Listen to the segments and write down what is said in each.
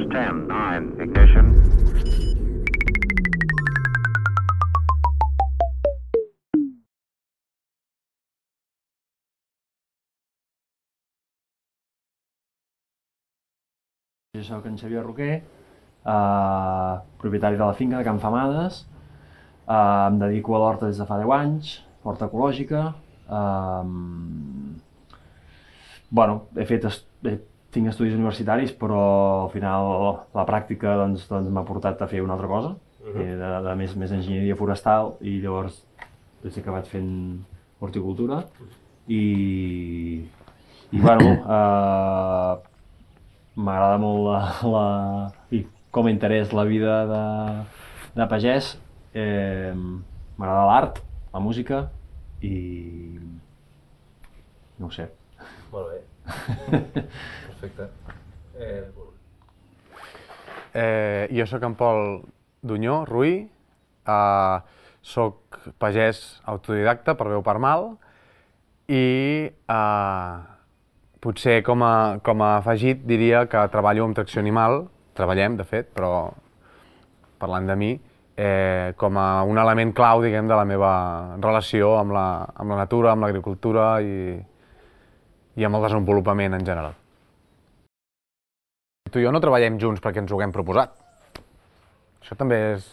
is 10, 9, ignition. Jo soc en Xavier Roquer, propietari de la finca de Can Famades. Em dedico a l'horta des de fa 10 anys, horta ecològica. Tinc estudis universitaris, però al final la pràctica m'ha portat a fer una altra cosa, més enginyeria forestal, i llavors he acabat fent horticultura. M'agrada molt com a interès la vida de pagès. M'agrada l'art, la música i no ho sé. Molt bé. Perfecte. Jo sóc en Pol Dunyó Ruí, soc pagès autodidacta per bé o per mal i potser com a afegit diria que treballo amb tracció animal, treballem de fet, però parlant de mi, com a un element clau, diguem, de la meva relació amb la natura, amb l'agricultura i amb el desenvolupament en general. Tu i jo no treballem junts perquè ens ho haguem proposat. Això també és...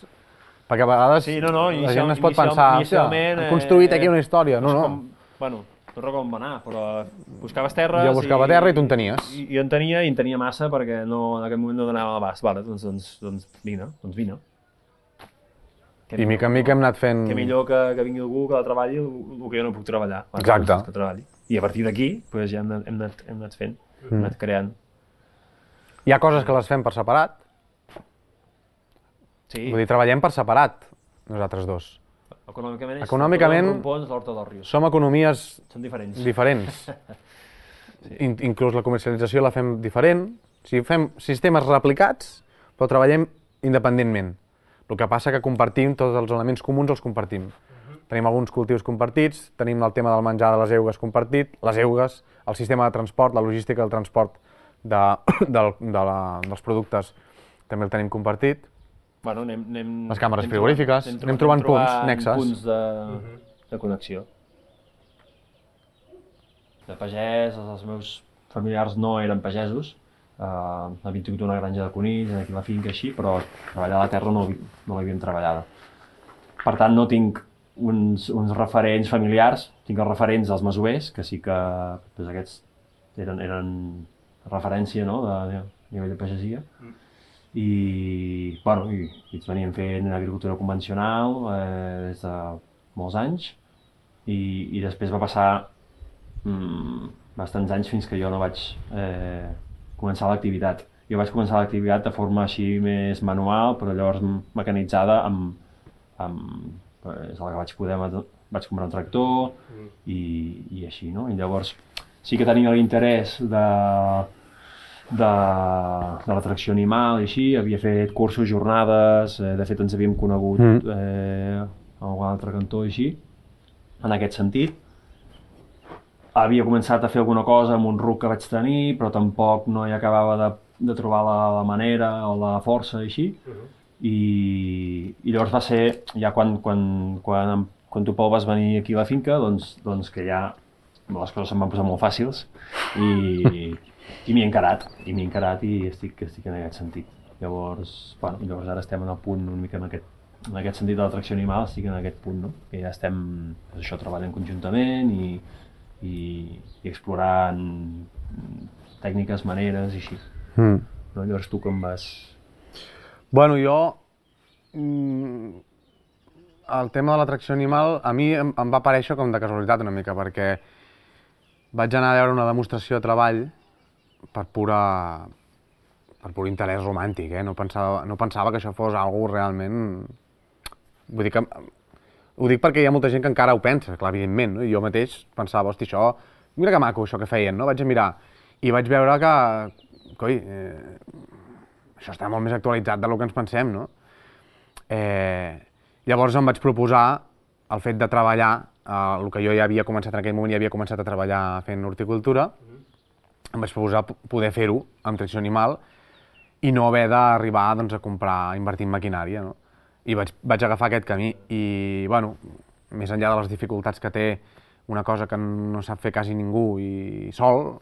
Perquè a vegades la gent es pot pensar, hem construït aquí una història. No. Bueno, no recordo com va anar, però buscaves terres... Jo buscava terra i tu en tenies. Jo en tenia i en tenia massa perquè en aquell moment no donava l'abast. Vale, doncs vine. I mica en mica hem anat fent... Que millor que vingui algú que la treballi el que jo no puc treballar. Exacte. I a partir d'aquí ja hem anat fent, hem anat creant. Hi ha coses que les fem per separat. Sí. Vull dir, treballem per separat, nosaltres dos. Econòmicament l'Horta dels Rius. Som economies... Són diferents. Inclús la comercialització la fem diferent. Fem sistemes replicats, però treballem independentment. El que passa que compartim tots els elements comuns, els compartim. Tenim alguns cultius compartits, tenim el tema del menjar de les eugues compartit, les eugues, el sistema de transport, la logística del transport dels productes també el tenim compartit. Les càmeres frigorífiques, anem trobant punts, nexes. Punts de connexió. De pagès, els meus familiars no eren pagesos. Havíem tingut una granja de conills, aquí a la finca així, però treballar a la terra no l'havíem treballada. Per tant, no tinc uns referents familiars, tinc els referents dels masovers, que sí que aquests eren referència de nivell de pagesia. I ells venien fent agricultura convencional des de molts anys i després va passar bastants anys fins que jo no vaig començar l'activitat. Jo vaig començar l'activitat de forma així més manual, però llavors mecanitzada és el que vaig poder, vaig comprar un tractor i així, no? I llavors sí que tenia l'interès de la tracció animal i així, havia fet cursos, jornades, de fet ens havíem conegut a algun altre cantó i així, en aquest sentit. Havia començat a fer alguna cosa amb un ruc que vaig tenir, però tampoc no hi acabava de trobar la manera o la força i així. I llavors va ser, ja quan tu, Pol, vas venir aquí a la finca, doncs que ja les coses se'm van posar molt fàcils i m'hi he encarat i estic en aquest sentit. Llavors ara estem en el punt una mica en aquest sentit de la tracció animal, estic en aquest punt, no? Que ja estem treballant conjuntament i explorant tècniques, maneres i així. Llavors tu com vas... Bueno, jo... El tema de la tracció animal a mi em va aparèixer com de casualitat una mica, perquè vaig anar a veure una demostració de treball per pur interès romàntic, no pensava que això fos algo realment... Vull dir que... Ho dic perquè hi ha molta gent que encara ho pensa, clar, evidentment, no? I jo mateix pensava, hosti, això... Mira que maco això que feien, no? Vaig a mirar i vaig veure que... Coi, això està molt més actualitzat del que ens pensem, no? Llavors em vaig proposar el fet de treballar, el que jo ja havia començat en aquell moment, ja havia començat a treballar fent horticultura, em vaig proposar poder fer-ho amb tracció animal i no haver d'arribar doncs, a comprar, a invertir en maquinària, no? I vaig agafar aquest camí i, bueno, més enllà de les dificultats que té una cosa que no sap fer quasi ningú i sol,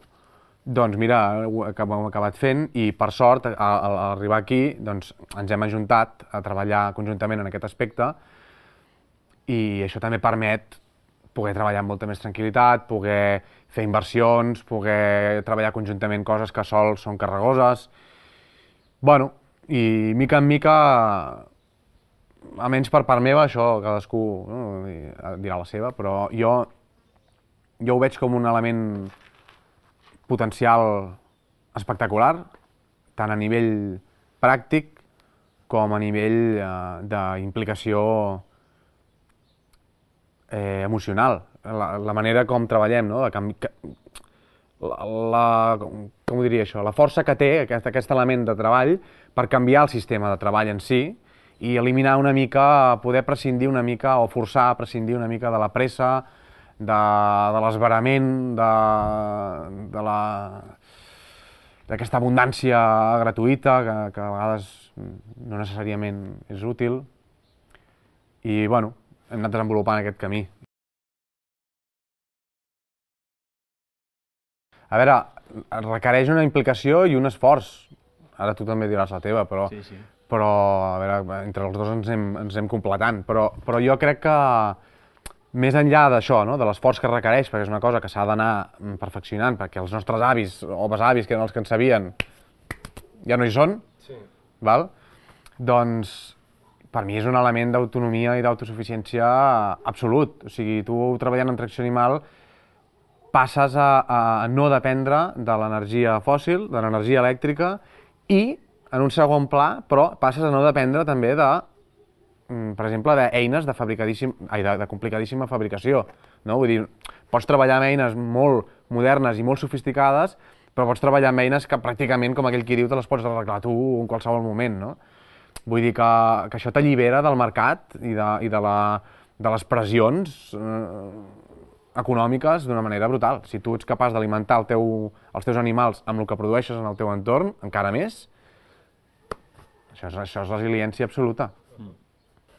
doncs mira, ho hem acabat fent i per sort, al arribar aquí, doncs ens hem ajuntat a treballar conjuntament en aquest aspecte i això també permet poder treballar amb molta més tranquil·litat, poder fer inversions, poder treballar conjuntament coses que sols són carregoses. Bueno, i mica en mica, almenys per part meva, això cadascú dirà la seva, però jo ho veig com un element potencial espectacular, tant a nivell pràctic com a nivell d'implicació emocional. La manera com treballem, no? Com ho diria això? La força que té aquest element de treball per canviar el sistema de treball en si i eliminar una mica, poder prescindir una mica o forçar a prescindir una mica de la pressa, de l'esverament, d'aquesta abundància gratuïta que a vegades no necessàriament és útil. I, bueno, hem anat desenvolupant aquest camí. A veure, requereix una implicació i un esforç. Ara tu també diràs la teva, però... Sí. Però, a veure, entre els dos ens hem completant. Però jo crec que, més enllà d'això, no? De l'esforç que requereix, perquè és una cosa que s'ha d'anar perfeccionant, perquè els nostres avis o besavis, que eren els que en sabien, ja no hi són, val? Doncs per mi és un element d'autonomia i d'autosuficiència absolut. O sigui, tu treballant en tracció animal passes a no dependre de l'energia fòssil, de l'energia elèctrica i, en un segon pla, però passes a no dependre també de, per exemple, d'eines de complicadíssima fabricació. No? Vull dir, pots treballar amb eines molt modernes i molt sofisticades, però pots treballar amb eines que pràcticament, com aquell qui diu, te les pots arreglar tu en qualsevol moment. No? Vull dir que això t'allibera del mercat i de les pressions econòmiques d'una manera brutal. Si tu ets capaç d'alimentar els teus animals amb el que produeixes en el teu entorn, encara més, això és resiliència absoluta.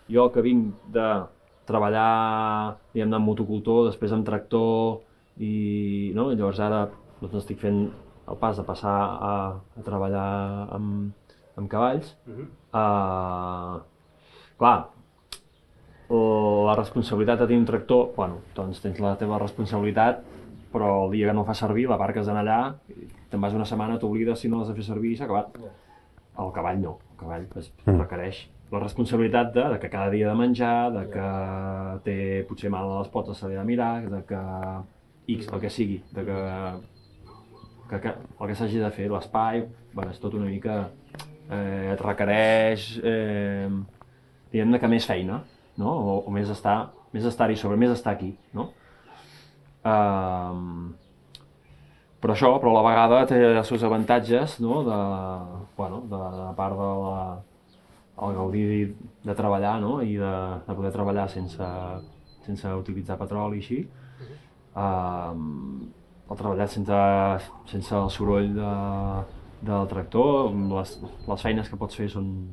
Jo que vinc de treballar, diguem-ne, amb motocultor, després amb tractor, i llavors ara estic fent el pas de passar a treballar amb cavalls. Clar, la responsabilitat de tenir un tractor, bueno, doncs tens la teva responsabilitat, però el dia que no el fas servir, l'aparques allà, te'n vas una setmana, t'oblides si no l'has de fer servir i s'ha acabat. El cavall no, el cavall requereix la responsabilitat de que cada dia ha de menjar, de que té potser mal a les potes, se li ha de mirar, de que X, el que sigui, de que el que s'hagi de fer, l'espai, bueno, és tot una mica, et requereix, diguem-ne que més feina, no? O més estar-hi sobre, més estar aquí, no? Però a la vegada té els seus avantatges, no? De part del gaudir de treballar, no? I de poder treballar sense utilitzar petroli i així. El treballar sense el soroll del tractor, les feines que pots fer són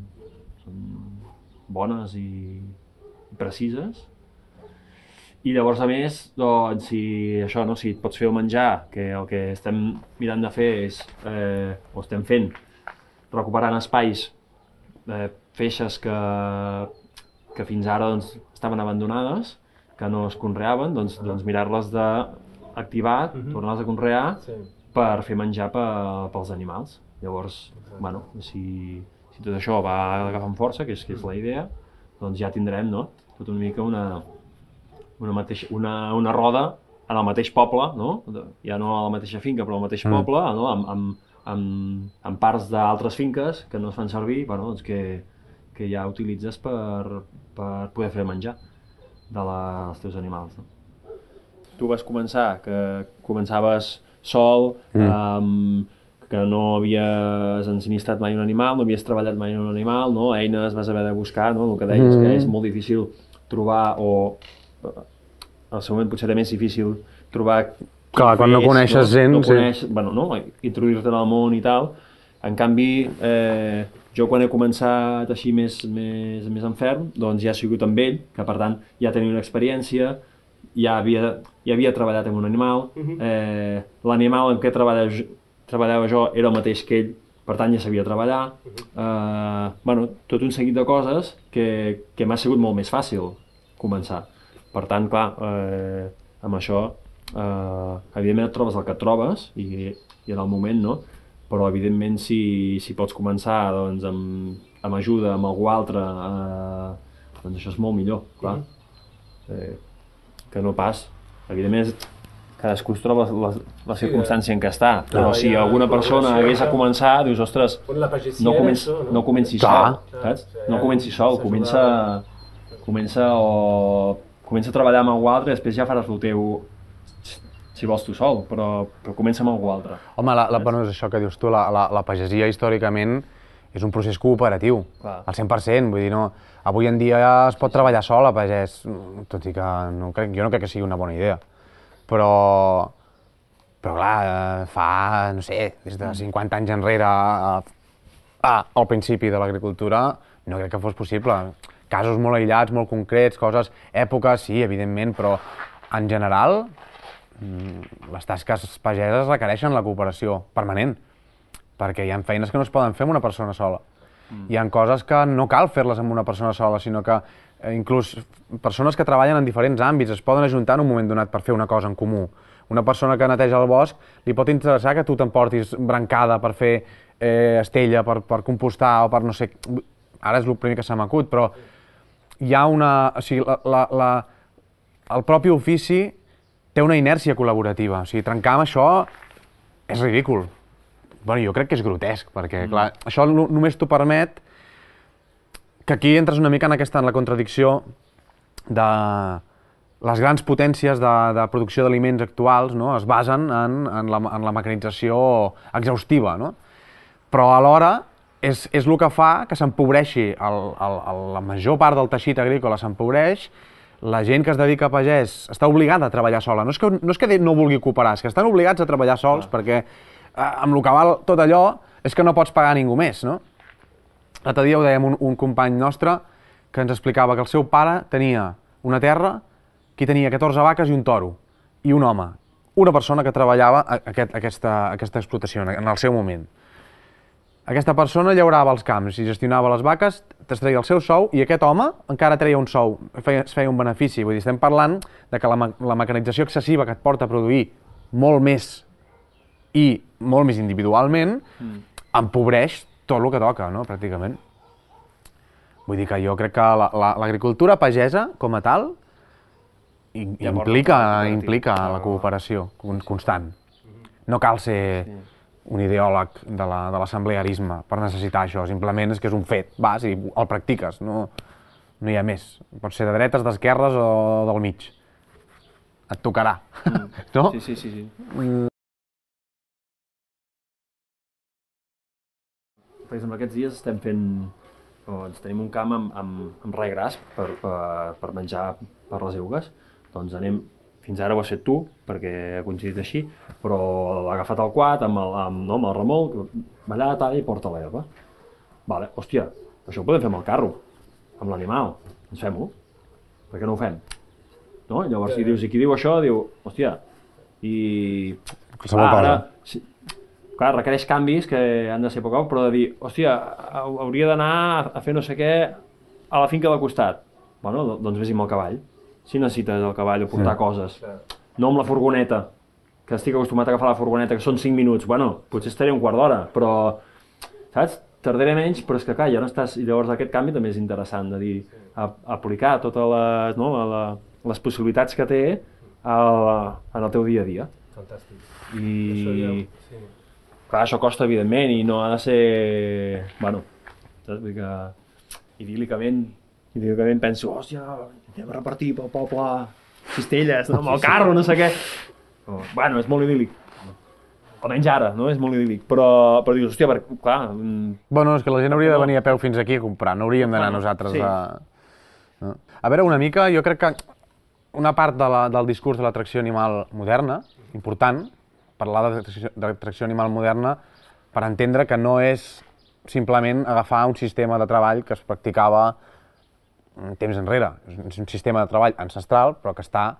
bones i precises. I llavors, a més, doncs, si et pots fer el menjar, que el que estem mirant de fer és, o estem fent, recuperant espais, feixes que fins ara estaven abandonades, que no es conreaven, doncs mirar-les d'activar, tornar-les a conrear per fer menjar pels animals. Llavors, bueno, si tot això va agafant força, que és la idea, doncs ja tindrem, no?, tot una mica una roda en el mateix poble, no? Ja no a la mateixa finca, però al mateix poble, no? Amb parts d'altres finques que no es fan servir, bueno, doncs que ja utilitzes per poder fer menjar dels teus animals. No? Tu vas començar, que començaves sol, que no havies ensinistrat mai un animal, no havies treballat mai un animal, no? Eines vas haver de buscar, no? El que deies, que és molt difícil trobar, o al seu moment potser era més difícil trobar... Clar, quan no coneixes gent... Bueno, no? Introduir-te en el món i tal, En canvi, jo quan he començat així més en ferm, doncs ja he sigut amb ell, que per tant ja tenia una experiència, ja havia treballat amb un animal, l'animal en què treballava jo era el mateix que ell, per tant ja sabia treballar, bueno, tot un seguit de coses que m'ha sigut molt més fàcil començar. Per tant, clar, amb això, evidentment et trobes el que et trobes, i en el moment, no? Però evidentment si pots començar doncs, amb ajuda, amb algú altre, doncs això és molt millor, clar. Que no pas. Evidentment cadascú es troba la circumstància en què està, però si alguna persona hagués a començar, dius, ostres, no comenci sol, saps? No comenci sol, comença a treballar amb algú altre i després ja faràs el teu, si vols tu sol, però comença amb algú altre. Home, bueno, és això que dius tu, la pagesia històricament és un procés cooperatiu, al 100%, vull dir, no, avui en dia es pot treballar sol a pagès, tot i que jo no crec que sigui una bona idea, però clar, fa, no sé, des de 50 anys enrere al principi de l'agricultura no crec que fos possible. Casos molt aïllats, molt concrets, coses, èpoques, sí, evidentment, però en general les tasques pageses requereixen la cooperació permanent, perquè hi ha feines que no es poden fer amb una persona sola. Hi ha coses que no cal fer-les amb una persona sola, sinó que inclús persones que treballen en diferents àmbits es poden ajuntar en un moment donat per fer una cosa en comú. Una persona que neteja el bosc li pot interessar que tu t'emportis brancada per fer estella, per compostar o per no sé... Ara és el primer que se m'acut, però hi ha una... O sigui, el propi ofici té una inèrcia col·laborativa. O sigui, trencar amb això és ridícul. Bueno, jo crec que és grotesc, perquè, clar, això només t'ho permet que aquí entres una mica en la contradicció de les grans potències de producció d'aliments actuals, no? Es basen en la mecanització exhaustiva, no? Però alhora és el que fa que s'empobreixi, la major part del teixit agrícola s'empobreix, la gent que es dedica a pagès està obligada a treballar sola. No és que no vulgui cooperar, és que estan obligats a treballar sols perquè amb el que val tot allò és que no pots pagar a ningú més, no? L'altre dia ho dèiem un company nostre que ens explicava que el seu pare tenia una terra que tenia 14 vaques i un toro, i un home, una persona que treballava aquesta explotació en el seu moment. Aquesta persona llaurava els camps i gestionava les vaques, treia el seu sou, i aquest home encara treia un sou, es feia un benefici. Vull dir, estem parlant de que la mecanització excessiva que et porta a produir molt més i molt més individualment, empobreix tot el que toca, no?, pràcticament. Vull dir que jo crec que l'agricultura pagesa, com a tal, implica la cooperació constant. No cal ser un ideòleg de l'assemblearisme per necessitar això, simplement és que és un fet, vas i el practiques, no hi ha més. Pots ser de dretes, d'esquerres o del mig. Et tocarà, no? Sí. Per exemple, aquests dies estem fent... Doncs tenim un camp amb rai gras per menjar per les eugues. Doncs anem... Fins ara ho has fet tu, perquè ha coincidit així, però l'ha agafat el quad amb el remolc, va allà, talla i porta l'herba. Vale, hòstia, això ho podem fer amb el carro, amb l'animal, doncs fem-ho. Per què no ho fem? No? Llavors, si dius, i qui diu això, diu, hòstia, i... Ara, clar, requereix canvis que han de ser poc, però de dir, hòstia, hauria d'anar a fer no sé què a la finca del costat. Bueno, doncs vés amb el cavall. Si necessites el cavall o portar coses. No amb la furgoneta, que estic acostumat a agafar la furgoneta, que són 5 minuts. Bueno, potser estaré un quart d'hora, però, saps? Tardaré menys, però és que clar, ja no estàs... I llavors aquest canvi també és interessant, de dir, aplicar totes les possibilitats que té en el teu dia a dia. Fantàstic. I... Clar, això costa, evidentment, i no ha de ser... Bueno, saps? Vull dir que idíl·licament penso, hòstia, anem a repartir pel poble cistelles, no? Amb el carro, no sé què. Bueno, és molt idíl·lic. Almenys ara, no? És molt idíl·lic. Però dius, hòstia, clar... Bueno, és que la gent hauria de venir a peu fins aquí a comprar, no hauríem d'anar nosaltres a... A veure, una mica, jo crec que una part del discurs de l'atracció animal moderna, important, parlar d'atracció animal moderna, per entendre que no és simplement agafar un sistema de treball que es practicava temps enrere. És un sistema de treball ancestral, però que està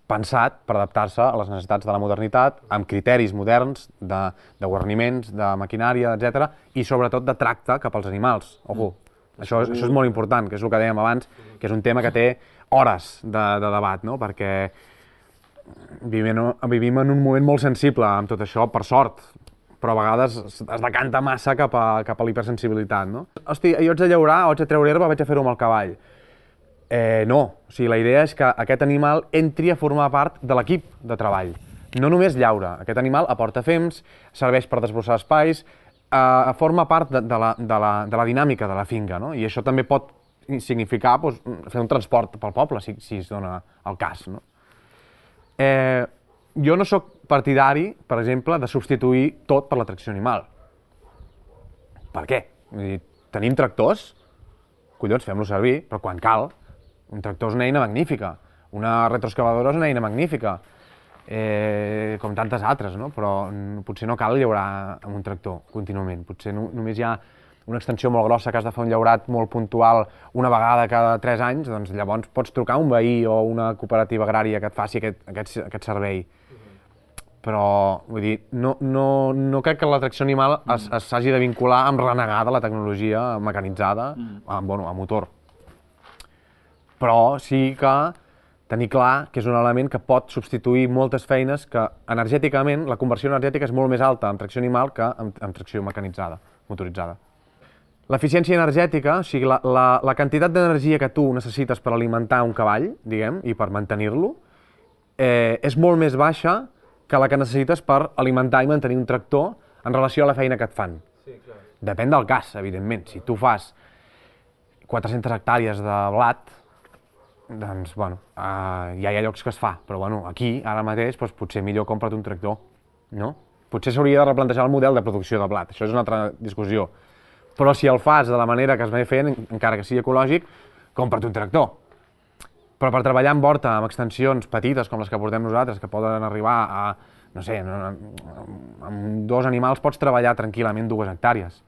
pensat per adaptar-se a les necessitats de la modernitat, amb criteris moderns de guarniments, de maquinària, etc. i sobretot de tracte cap als animals. Ojo, això és molt important, que és el que dèiem abans, que és un tema que té hores de debat, no? Perquè vivim en un moment molt sensible amb tot això, per sort, però a vegades es decanta massa cap a l'hipersensibilitat, no? Hosti, jo haig de llaurar, o haig de treure herba, vaig a fer-ho amb el cavall. No, o sigui, la idea és que aquest animal entri a formar part de l'equip de treball. No només llaura, aquest animal aporta fems, serveix per desbrossar espais, forma part de la dinàmica de la finca, no? I això també pot significar fer un transport pel poble, si es dona el cas, no? Jo no sóc partidari, per exemple, de substituir tot per la tracció animal. Per què? Vull dir, tenim tractors, collons, fem-los servir, però quan cal. Un tractor és una eina magnífica, una retroexcavadora és una eina magnífica, com tantes altres, no? Però potser no cal llaurar amb un tractor contínuament. Potser només hi ha una extensió molt grossa que has de fer un llaurat molt puntual una vegada cada 3 anys, doncs llavors pots trucar a un veí o una cooperativa agrària que et faci aquest servei. Però, vull dir, no crec que la tracció animal s'hagi de vincular amb renegar de la tecnologia mecanitzada, a motor. Però sí que tenir clar que és un element que pot substituir moltes feines que energèticament, la conversió energètica és molt més alta amb tracció animal que amb tracció mecanitzada, motoritzada. L'eficiència energètica, o sigui, la quantitat d'energia que tu necessites per alimentar un cavall, diguem, i per mantenir-lo, és molt més baixa que la que necessites per alimentar i mantenir un tractor en relació a la feina que et fan. Sí, clar. Depèn del cas, evidentment. Si tu fas 400 hectàrees de blat, doncs, bueno, ja hi ha llocs que es fa, però bueno, aquí, ara mateix, doncs, potser millor compra't un tractor, no? Potser s'hauria de replantejar el model de producció de blat, això és una altra discussió. Però si el fas de la manera que es va fent, encara que sigui ecològic, compra't un tractor. Però per treballar en horta, amb extensions petites com les que portem nosaltres, que poden arribar a, no sé, amb 2 animals pots treballar tranquil·lament 2 hectàrees.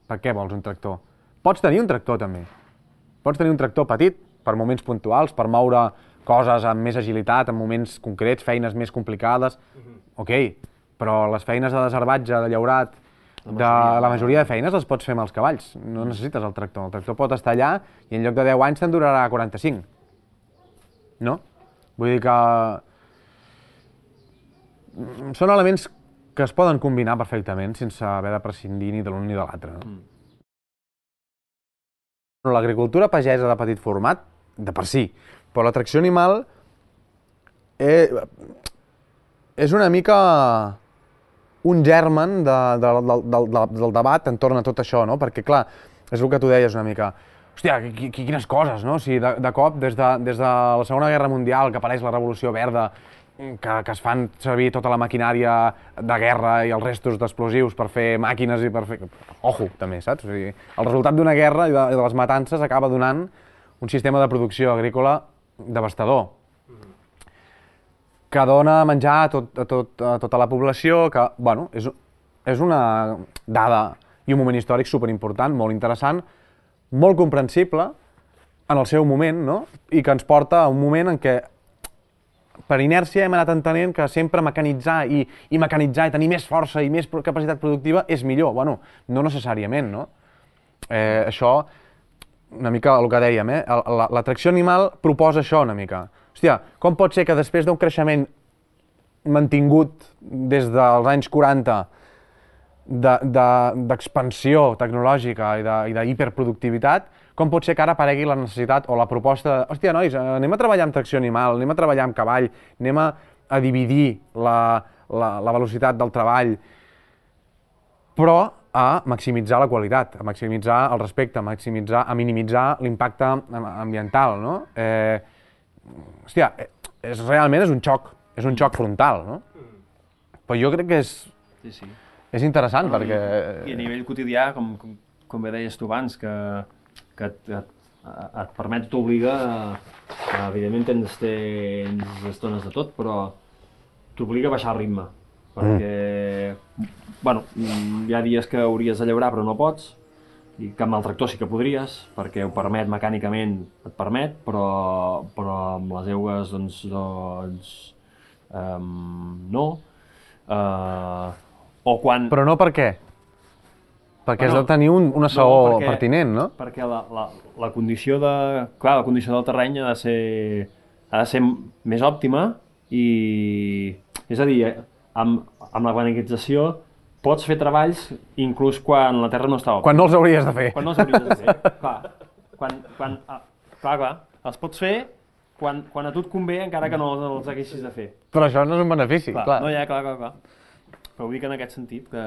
Per què vols un tractor? Pots tenir un tractor també. Pots tenir un tractor petit per moments puntuals, per moure coses amb més agilitat, en moments concrets, feines més complicades. Ok, però les feines de desherbatge, de llaurat, la majoria de feines les pots fer amb els cavalls. No necessites el tractor pot estar allà i en lloc de 10 anys te'n durarà 45. No? Vull dir que són elements que es poden combinar perfectament sense haver de prescindir ni de l'un ni de l'altre. L'agricultura pagesa de petit format, de per si, però la tracció animal és una mica un germen del debat entorn a tot això, no? Perquè, clar, és el que tu deies una mica. Hòstia, quines coses, no? O sigui, de cop, des de la Segona Guerra Mundial, que apareix la Revolució Verda, que es fan servir tota la maquinària de guerra i els restos d'explosius per fer màquines i per fer... Ojo, també, saps? O sigui, el resultat d'una guerra i de les matances acaba donant un sistema de producció agrícola devastador, que dona menjar a tota la població, que, bueno, és una dada i un moment històric superimportant, molt interessant, molt comprensible en el seu moment, no? I que ens porta a un moment en què, per inèrcia, hem anat entenent que sempre mecanitzar i tenir més força i més capacitat productiva és millor. Bueno, no necessàriament, no? Això, una mica el que dèiem, la tracció animal proposa això una mica. Hòstia, com pot ser que després d'un creixement mantingut des dels anys 40 d'expansió tecnològica i d'hiperproductivitat, com pot ser que ara aparegui la necessitat o la proposta de hòstia, nois, anem a treballar amb tracció animal, anem a treballar amb cavall, anem a dividir la velocitat del treball, però a maximitzar la qualitat, a maximitzar el respecte, a minimitzar l'impacte ambiental, no? Hòstia, realment és un xoc frontal, no? Però jo crec que és interessant, perquè... I a nivell quotidià, com bé deies tu abans, que et permet, t'obliga, evidentment tens estones de tot, però t'obliga a baixar el ritme. perquè, bueno, hi ha dies que hauries de llaurar però no pots, i que amb el tractor sí que podries, perquè ho permet mecànicament, et permet, però amb les eugues no. O quan... Però no per què? Perquè has de tenir una saó pertinent, no? Perquè la condició clar, la condició del terreny ha de ser més òptima i... És a dir, amb la planetització pots fer treballs inclús quan la terra no està òptima. Quan no els hauries de fer. Quan no els hauries de fer, clar. Els pots fer quan a tu et convé, encara que no els haguessis de fer. Però això no és un benefici, clar. No, ja, clar. Però ho dic en aquest sentit, que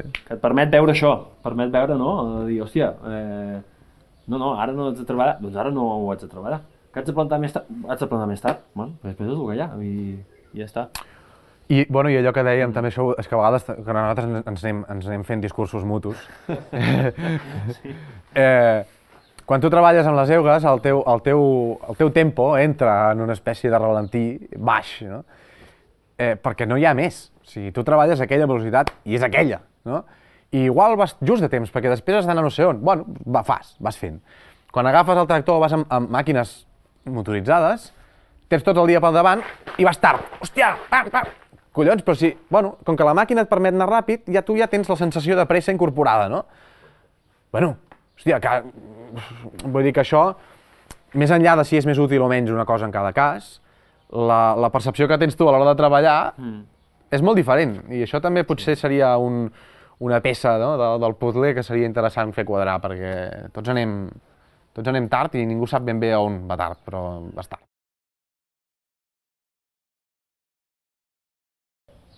et permet veure això, permet veure, no? De dir, hòstia, ara no haig de treballar, doncs ara no ho haig de treballar. Que haig de plantar més tard? Haig de plantar més tard. Bueno, després és el que hi ha, i ja està. I allò que dèiem també, això, és que a vegades que nosaltres ens anem fent discursos mutus. Sí. Quan tu treballes amb les eugues, el teu tempo entra en una espècie de ralentí baix, no? Perquè no hi ha més. O sigui, tu treballes a aquella velocitat i és aquella, no? I igual vas just de temps, perquè després has d'anar no sé on. Bueno, vas fent. Quan agafes el tractor, vas amb màquines motoritzades, tens tot el dia pel davant i vas tard. Hòstia, pam! Collons, però si, bueno, com que la màquina et permet anar ràpid, tu ja tens la sensació de pressa incorporada, no? Bueno, hòstia, vull dir que això, més enllà de si és més útil o menys una cosa en cada cas, la percepció que tens tu a l'hora de treballar és molt diferent, i això també potser seria una peça, no, del puzzle que seria interessant fer quadrar, perquè tots anem tard i ningú sap ben bé on va tard, però vas tard.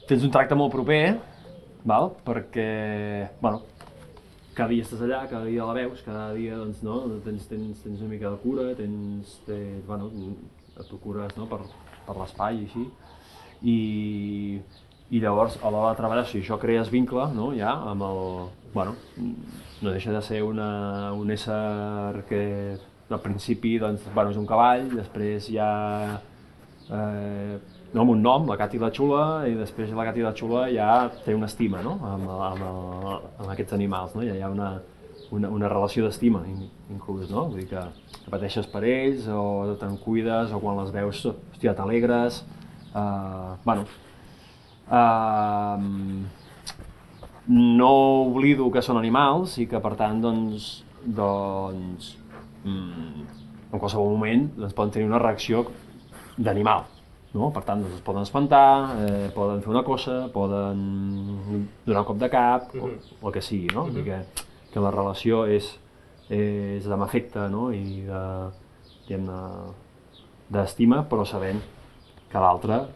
Tens un tracte molt proper, val? Perquè, bueno, cada dia estàs allà, cada dia la veus, cada dia, doncs, no, tens una mica de cura, bueno, et procures, no, per l'espai i així, i llavors, a l'hora de treballar, si això crees vincle, no, ja, amb el, bueno, no deixa de ser un ésser que, al principi, doncs, bueno, és un cavall, després hi ha, no, amb un nom, la Cati la Xula, i després la Cati la Xula ja té una estima, no?, amb aquests animals, no? Ja hi ha una relació d'estima, inclús, no? Vull dir que pateixes per ells, o te'n cuides, o quan les veus, hòstia, t'alegres, bueno... No oblido que són animals i que, per tant, doncs, en qualsevol moment poden tenir una reacció d'animal. No? Per tant, es poden espantar, poden fer una cosa, poden donar un cop de cap, o el que sigui, no? Vull dir que la relació és d'afecte, no? I d'estima, però sabent que l'altre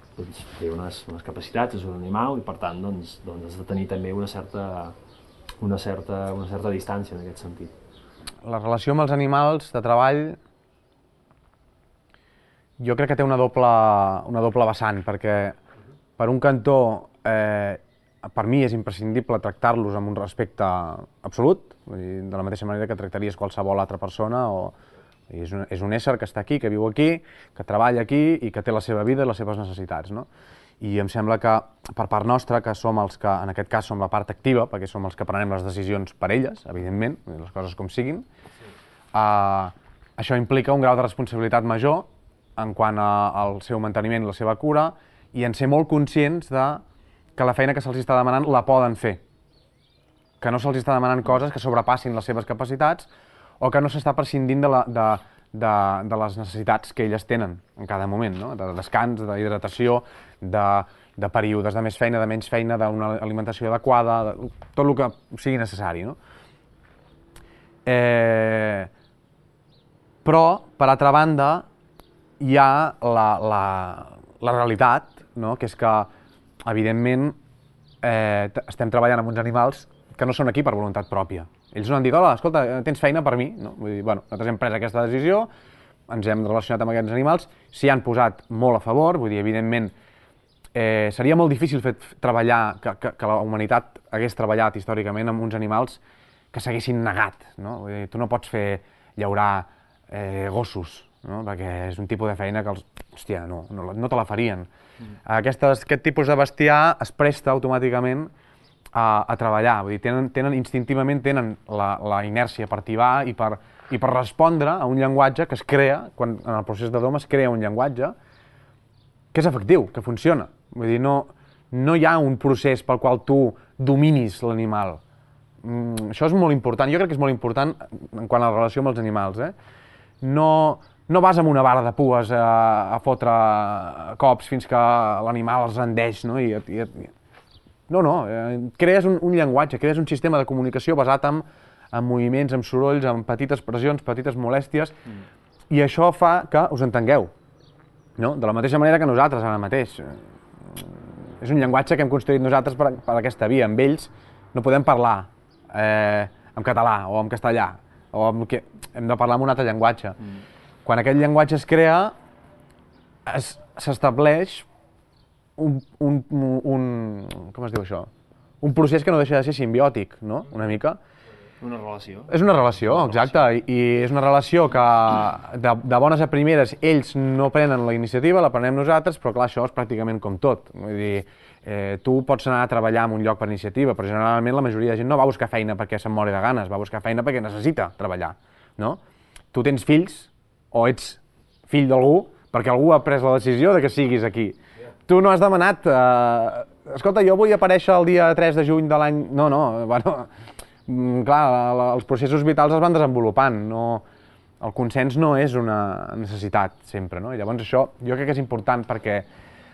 té unes capacitats, és un animal, i per tant has de tenir també una certa distància en aquest sentit. La relació amb els animals de treball jo crec que té una doble vessant, perquè per un cantó, per mi és imprescindible tractar-los amb un respecte absolut, de la mateixa manera que tractaries qualsevol altra persona, és un ésser que està aquí, que viu aquí, que treballa aquí i que té la seva vida i les seves necessitats, no? I em sembla que per part nostra, que som els que, en aquest cas, som la part activa, perquè som els que prenem les decisions per elles, evidentment, les coses com siguin, això implica un grau de responsabilitat major en quant al seu manteniment i la seva cura, i en ser molt conscients que la feina que se'ls està demanant la poden fer. Que no se'ls està demanant coses que sobrepassin les seves capacitats o que no s'està prescindint de les necessitats que elles tenen en cada moment, no? De descans, d'hidratació, de períodes de més feina, de menys feina, d'una alimentació adequada, tot el que sigui necessari, no? Però, per altra banda, hi ha la realitat, no? Que és que, evidentment, estem treballant amb uns animals que no són aquí per voluntat pròpia. Ells no han dit, hola, escolta, tens feina per mi? No? Vull dir, bueno, nosaltres hem pres aquesta decisió, ens hem relacionat amb aquests animals, s'hi han posat molt a favor, vull dir, evidentment, seria molt difícil treballar, que la humanitat hagués treballat històricament amb uns animals que s'haguessin negat, no? Vull dir, tu no pots llaurar gossos, no? Perquè és un tipus de feina que hòstia, no te la farien. Aquest tipus de bestiar es presta automàticament a treballar, vull dir, instintivament tenen la inèrcia per tibar i per respondre a un llenguatge que es crea, quan en el procés de dom es crea un llenguatge que és efectiu, que funciona. Vull dir, no hi ha un procés pel qual tu dominis l'animal. Això és molt important, jo crec que és molt important en quant a la relació amb els animals. No vas amb una vara de pues a fotre cops fins que l'animal es rendeix, no? Crees un llenguatge, crees un sistema de comunicació basat en moviments, en sorolls, en petites pressions, petites molèsties, i això fa que us entengueu. No? De la mateixa manera que nosaltres ara mateix. És un llenguatge que hem construït nosaltres per aquesta via. Amb ells no podem parlar en català o en castellà, hem de parlar en un altre llenguatge. Quan aquest llenguatge es crea, s'estableix com es diu això? Un procés que no deixa de ser simbiòtic, no? Una mica. Una relació. És una relació, exacte, i és una relació que de bones a primeres ells no prenen la iniciativa, la prenem nosaltres, però clar, això és pràcticament com tot. Vull dir, tu pots anar a treballar en un lloc per iniciativa, però generalment la majoria de gent no va buscar feina perquè se'n mori de ganes, va buscar feina perquè necessita treballar, no? Tu tens fills, o ets fill d'algú, perquè algú ha pres la decisió de que siguis aquí. Tu no has demanat, escolta, jo vull aparèixer el dia 3 de juny de l'any... No, bueno... Clar, els processos vitals es van desenvolupant, el consens no és una necessitat sempre, no? I llavors això jo crec que és important perquè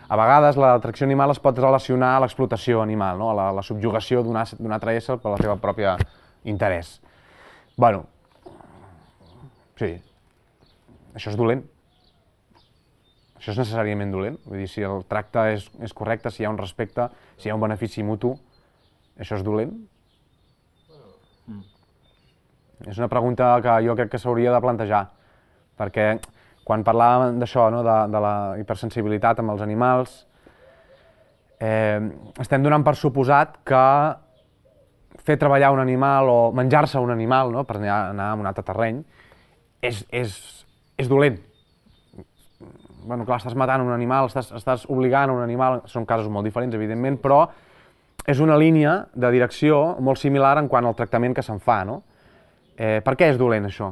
a vegades l'atracció animal es pot relacionar a l'explotació animal, no? A la subjugació d'un altre ésser per la seva pròpia interès. Bueno, sí, això és dolent. Això és necessàriament dolent. Vull dir, si el tracte és correcte, si hi ha un respecte, si hi ha un benefici mutu, això és dolent. És una pregunta que jo crec que s'hauria de plantejar, perquè quan parlàvem d'això, de la hipersensibilitat amb els animals, estem donant per suposat que fer treballar un animal o menjar-se un animal, per anar a un altre terreny, és dolent. Bueno, clar, estàs matant un animal, estàs obligant un animal, són casos molt diferents, evidentment, però és una línia de direcció molt similar en quant al tractament que se'n fa, no? Per què és dolent, això?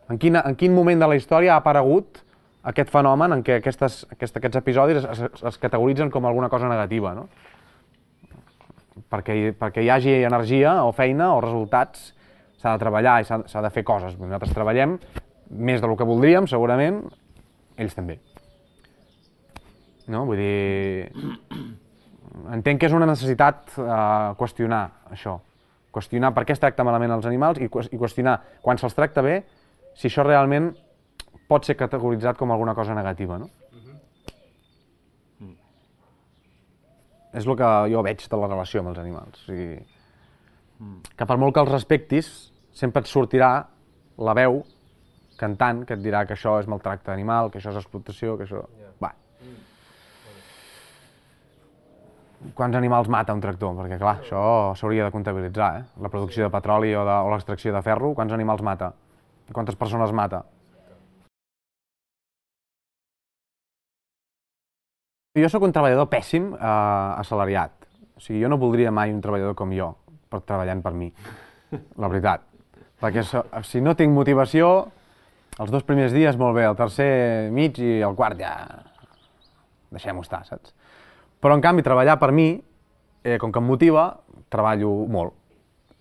En quin moment de la història ha aparegut aquest fenomen en què aquests episodis es categoritzen com alguna cosa negativa, no? Perquè hi hagi energia o feina o resultats, s'ha de treballar i s'ha de fer coses. Nosaltres treballem més del que voldríem, segurament, ells també. No? Vull dir... Entenc que és una necessitat qüestionar això. Qüestionar per què es tracta malament els animals i qüestionar, quan se'ls tracta bé, si això realment pot ser categoritzat com alguna cosa negativa, no? És el que jo veig de la relació amb els animals. O sigui, que per molt que els respectis, sempre et sortirà la veu cantant que et dirà que això és maltracte animal, que això és explotació, que això... Va. Quants animals mata un tractor? Perquè, clar, això s'hauria de comptabilitzar, La producció de petroli o l'extracció de ferro, quants animals mata? Quantes persones mata? Jo sóc un treballador pèssim assalariat. O sigui, jo no voldria mai un treballador com jo, treballant per mi, la veritat. Perquè si no tinc motivació, els 2 primers dies molt bé, el tercer mig i el quart ja... deixem-ho estar, saps? Però, en canvi, treballar per mi, com que em motiva, treballo molt.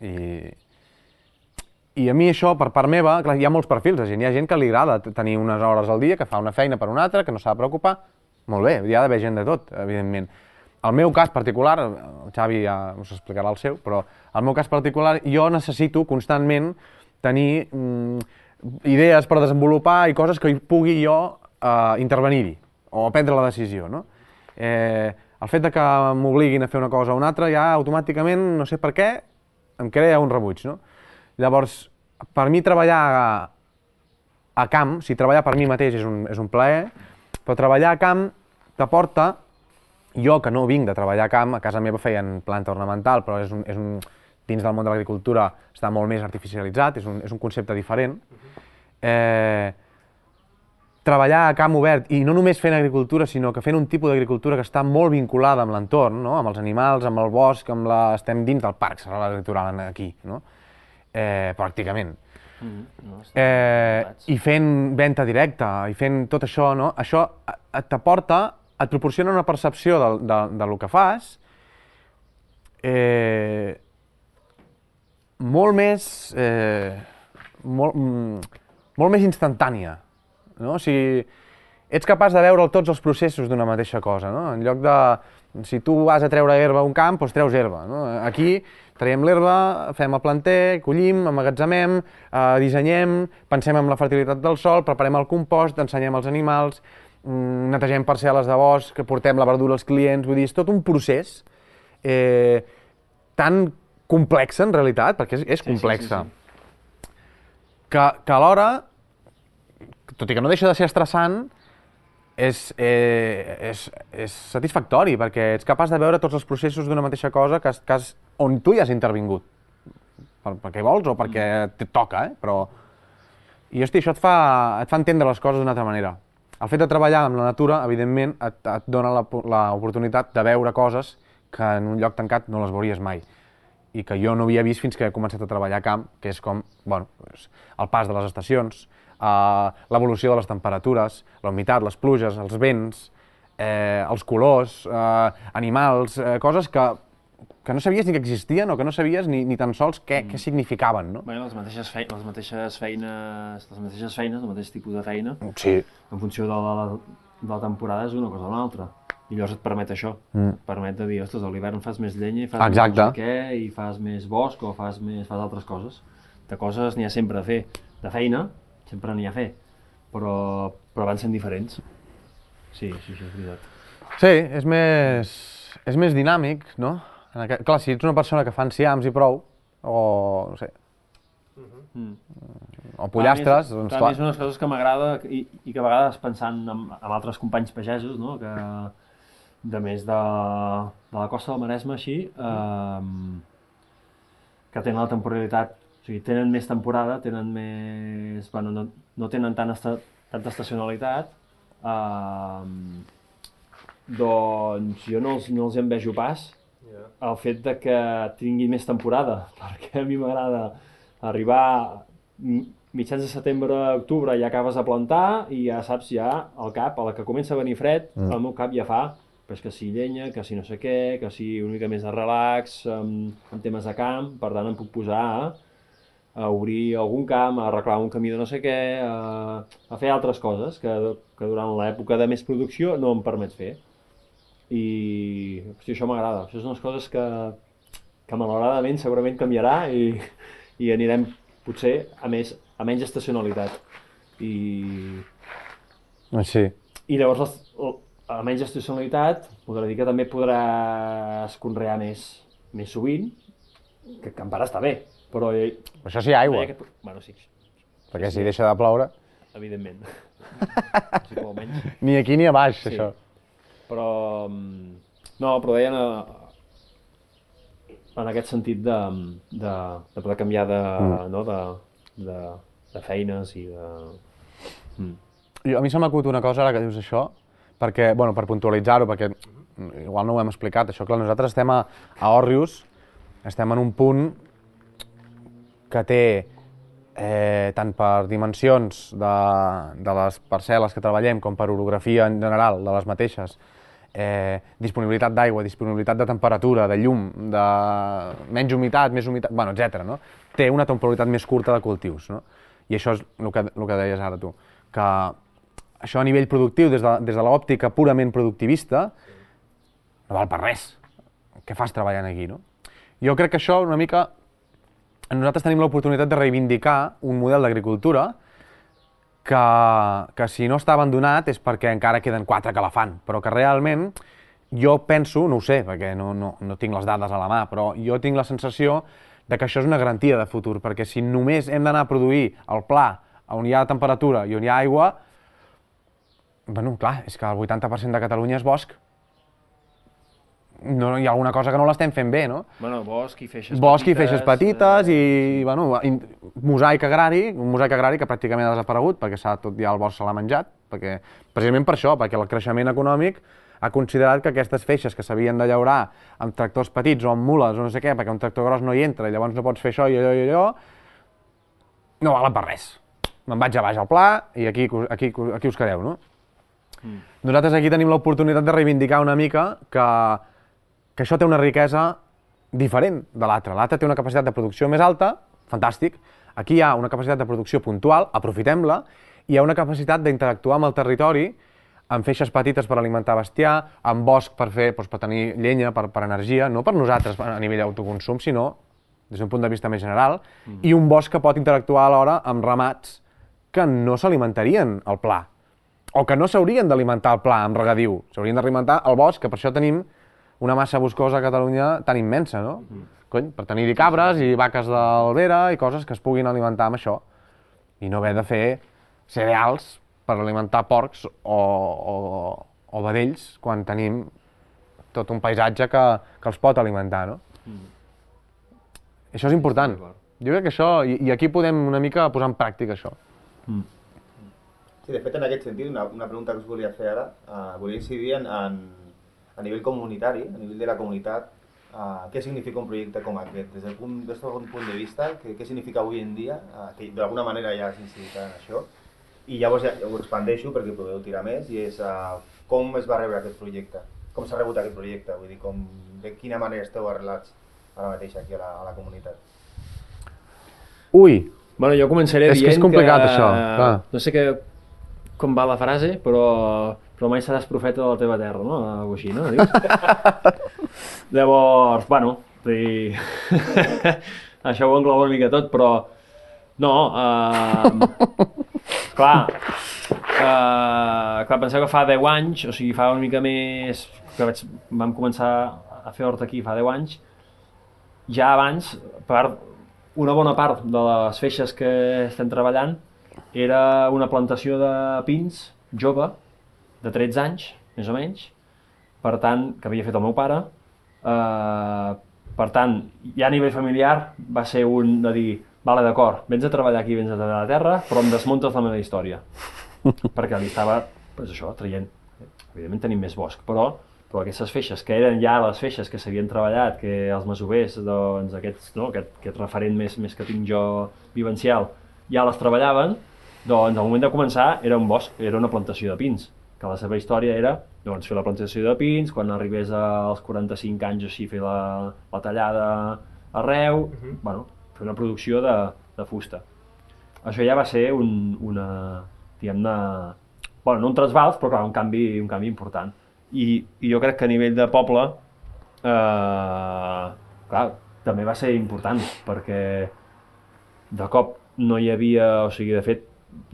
I a mi això, per part meva, clar, hi ha molts perfils de gent. Hi ha gent que li agrada tenir unes hores al dia, que fa una feina per una altra, que no s'ha de preocupar. Molt bé, hi ha d'haver gent de tot, evidentment. El meu cas particular, el Xavi ja us explicarà el seu, però el meu cas particular, jo necessito constantment tenir idees per desenvolupar i coses que pugui jo intervenir-hi o prendre la decisió, no? El fet que m'obliguin a fer una cosa o una altra ja automàticament, no sé per què, em crea un rebuig, no? Llavors, per mi treballar a camp, si treballar per mi mateix és un plaer, però treballar a camp t'aporta, jo que no vinc de treballar a camp, a casa meva feien planta ornamental, però dins del món de l'agricultura està molt més artificialitzat, és un concepte diferent, treballar a camp obert, i no només fent agricultura, sinó que fent un tipus d'agricultura que està molt vinculada amb l'entorn, no? Amb els animals, amb el bosc, estem dins del parc serralada litoral aquí, no? Pràcticament. I fent venda directa, i fent tot això, no? Això t'aporta, et proporciona una percepció del que fas molt més instantània. No? O sigui, ets capaç de veure tots els processos d'una mateixa cosa, no? En lloc de, si tu vas a treure herba a un camp, doncs treus herba, no? Aquí traiem l'herba, fem el planter, collim, emmagatzemem, dissenyem, pensem en la fertilitat del sòl, preparem el compost, ensenyem als animals, netegem parcel·les de bosc, portem la verdura als clients, vull dir, és tot un procés tan complex en realitat, perquè és complexa, que alhora, tot i que no deixa de ser estressant, és satisfactori, perquè ets capaç de veure tots els processos d'una mateixa cosa on tu hi has intervingut, perquè vols o perquè et toca, però... I, hosti, això et fa entendre les coses d'una altra manera. El fet de treballar amb la natura, evidentment, et dona l'oportunitat de veure coses que en un lloc tancat no les veuries mai, i que jo no havia vist fins que he començat a treballar a camp, que és com, bueno, el pas de les estacions, l'evolució de les temperatures, la humitat, les pluges, els vents, els colors, animals, coses que no sabies ni que existien o que no sabies ni tan sols què significaven, no? Bé, les mateixes feines, el mateix tipus de feina, sí, en funció de la temporada és una cosa o una altra. I llavors et permet això, et permet de dir, ostres, a l'hivern fas més llenya i fas més no sé què, i fas més bosc o fas altres coses. De coses n'hi ha sempre a fer, de feina sempre n'hi ha a fer, però van sent diferents. Sí, això és veritat. Sí, és més dinàmic, no? Clar, si ets una persona que fa enciams i prou, o no sé, o pollastres, doncs clar. És una de les coses que m'agrada i que a vegades pensant en altres companys pagesos, no? Que de més de la costa del Maresme, així, que tenen la temporalitat, o sigui, tenen més temporada, tenen més... Bueno, no tenen tanta estacionalitat, doncs jo no els envejo pas el fet de que tingui més temporada, perquè a mi m'agrada arribar mitjans de setembre a octubre, ja acabes de plantar i ja saps, ja al cap, a la que comença a venir fred, al meu cap ja fa pues que si llenya, que si no sé què, que si una mica més de relax, en temes de camp, per tant em puc posar a obrir algun camp, a arreglar un camí de no sé què, a fer altres coses que durant l'època de més producció no em permet fer. I hosti, això m'agrada, això són unes coses que malauradament segurament canviarà i anirem potser a menys estacionalitat. Sí. I llavors a menys estacionalitat podrà dir que també podràs conrear més sovint, que en part està bé, però... Això sí, aigua. Bueno, sí. Perquè si deixa de ploure... Evidentment. Sí, com almenys. Ni aquí ni a baix, sí. Això. Però... No, però deien en aquest sentit de poder canviar de feines i de... A mi se m'acut una cosa ara que dius això, perquè, bueno, per puntualitzar-ho, perquè igual no ho hem explicat, això, clar, nosaltres estem a Òrrius, estem en un punt que té, tant per dimensions de les parcel·les que treballem, com per orografia en general de les mateixes, disponibilitat d'aigua, disponibilitat de temperatura, de llum, de menys humitat, més humitat, bueno, etc. No? Té una temporalitat més curta de cultius, no? I això és el que deies ara tu, que això a nivell productiu, des de l'òptica purament productivista, no val per res. Què fas treballant aquí, no? Jo crec que això una mica... Nosaltres tenim l'oportunitat de reivindicar un model d'agricultura que si no està abandonat és perquè encara queden 4 que la fan, però que realment jo penso, no ho sé, perquè no tinc les dades a la mà, però jo tinc la sensació de que això és una garantia de futur, perquè si només hem d'anar a produir el pla on hi ha temperatura i on hi ha aigua, bueno, clar, és que el 80% de Catalunya és bosc. no, hi ha alguna cosa que no l'estem fent bé, no? Bueno, bosc i feixes Bosc i feixes petites i, bueno, mosaic agrari, un mosaic agrari que pràcticament ha desaparegut perquè tot ja el bosc se l'ha menjat, perquè, precisament per això, perquè el creixement econòmic ha considerat que aquestes feixes que s'havien de llaurar amb tractors petits o amb mules o no sé què, perquè un tractor gros no hi entra i llavors no pots fer això i allò i allò, no valen per res. Me'n vaig a baix al pla i aquí us quedeu, no? Nosaltres aquí tenim l'oportunitat de reivindicar una mica que això té una riquesa diferent de l'altre. L'altre té una capacitat de producció més alta, fantàstic. Aquí hi ha una capacitat de producció puntual, aprofitem-la, i hi ha una capacitat d'interactuar amb el territori, amb feixes petites per alimentar bestiar, amb bosc per tenir llenya, per energia, no per nosaltres a nivell d'autoconsum, sinó des d'un punt de vista més general, i un bosc que pot interactuar alhora amb ramats que no s'alimentarien al pla, o que no s'haurien d'alimentar al pla amb regadiu, s'haurien d'alimentar al bosc, que per això tenim una massa boscosa a Catalunya tan immensa, no? Cony, per tenir-hi cabres i vaques d'albera i coses que es puguin alimentar amb això, i no haver de fer cereals per alimentar porcs o vedells quan tenim tot un paisatge que els pot alimentar, no? Això és important. Jo crec que això, i aquí podem una mica posar en pràctica això. Sí, de fet, en aquest sentit, una pregunta que us volia fer ara, volia incidir a nivell comunitari, a nivell de la comunitat, què significa un projecte com aquest? Des del punt de vista, què significa avui en dia, que d'alguna manera ja has incidit en això, i llavors ja ho expandeixo perquè podeu tirar més, i és com es va rebre aquest projecte, com s'ha rebut aquest projecte, vull dir, de quina manera esteu arrelats ara mateix aquí a la comunitat. Ui! Bueno, jo començaré dient que... És complicat, això. No sé com va la frase, però mai seràs profeta de la teva terra, no? Algo així, no? Llavors, bueno, això ho engloba una mica tot, però no, clar, penseu que fa 10 anys, o sigui, fa una mica més, que vam començar a fer hort aquí fa 10 anys, ja abans, una bona part de les feixes que estem treballant era una plantació de pins jove, de 13 anys, més o menys, per tant, que havia fet el meu pare. Per tant, ja a nivell familiar va ser un de dir, vale, d'acord, vens a treballar aquí, vens a treballar a la terra, però em desmuntes la meva història. Perquè li estava, doncs això, traient. Evidentment tenim més bosc, però aquestes feixes, que eren ja les feixes que s'havien treballat, que els masovers, doncs aquest referent més que tinc jo vivencial, ja les treballaven, doncs al moment de començar era un bosc, era una plantació de pins, que la seva història era doncs, fer la plantació de pins, quan arribés als 45 anys o així fer la tallada arreu, bueno, fer una producció de fusta. Això ja va ser diguem-ne, bueno, no un trasbals, però clar, un canvi important. I jo crec que a nivell de poble, clar, també va ser important, perquè de cop no hi havia, o sigui, de fet,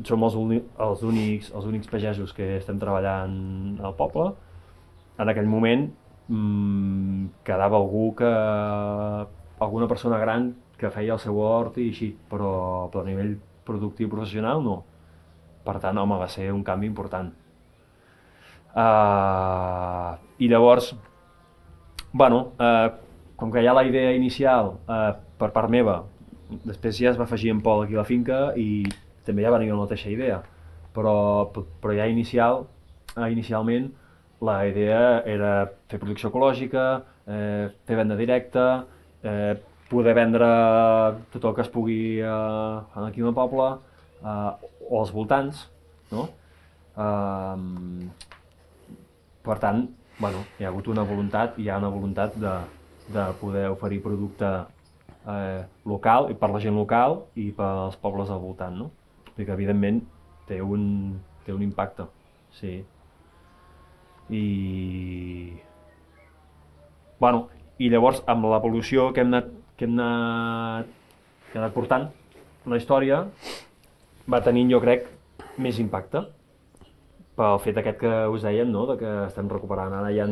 som els únics pagesos que estem treballant al poble. En aquell moment quedava alguna persona gran que feia el seu hort i així, però a nivell productiu professional no. Per tant, home, va ser un canvi important. I llavors, bueno, com que hi ha la idea inicial per part meva, després ja es va afegir en Pol aquí a la finca i també ja va venir la mateixa idea, però ja inicialment la idea era fer producció ecològica, fer venda directa, poder vendre tot el que es pugui aquí al poble o als voltants, no? Per tant, bueno, hi ha hagut una voluntat, hi ha una voluntat de poder oferir producte local, per la gent local i pels pobles al voltant, no? Perquè evidentment té un impacte, sí. Bueno, i llavors amb l'evolució que hem anat portant, la història va tenint, jo crec, més impacte. Pel fet aquest que us dèiem, no? De que estem recuperant. Ara hi ha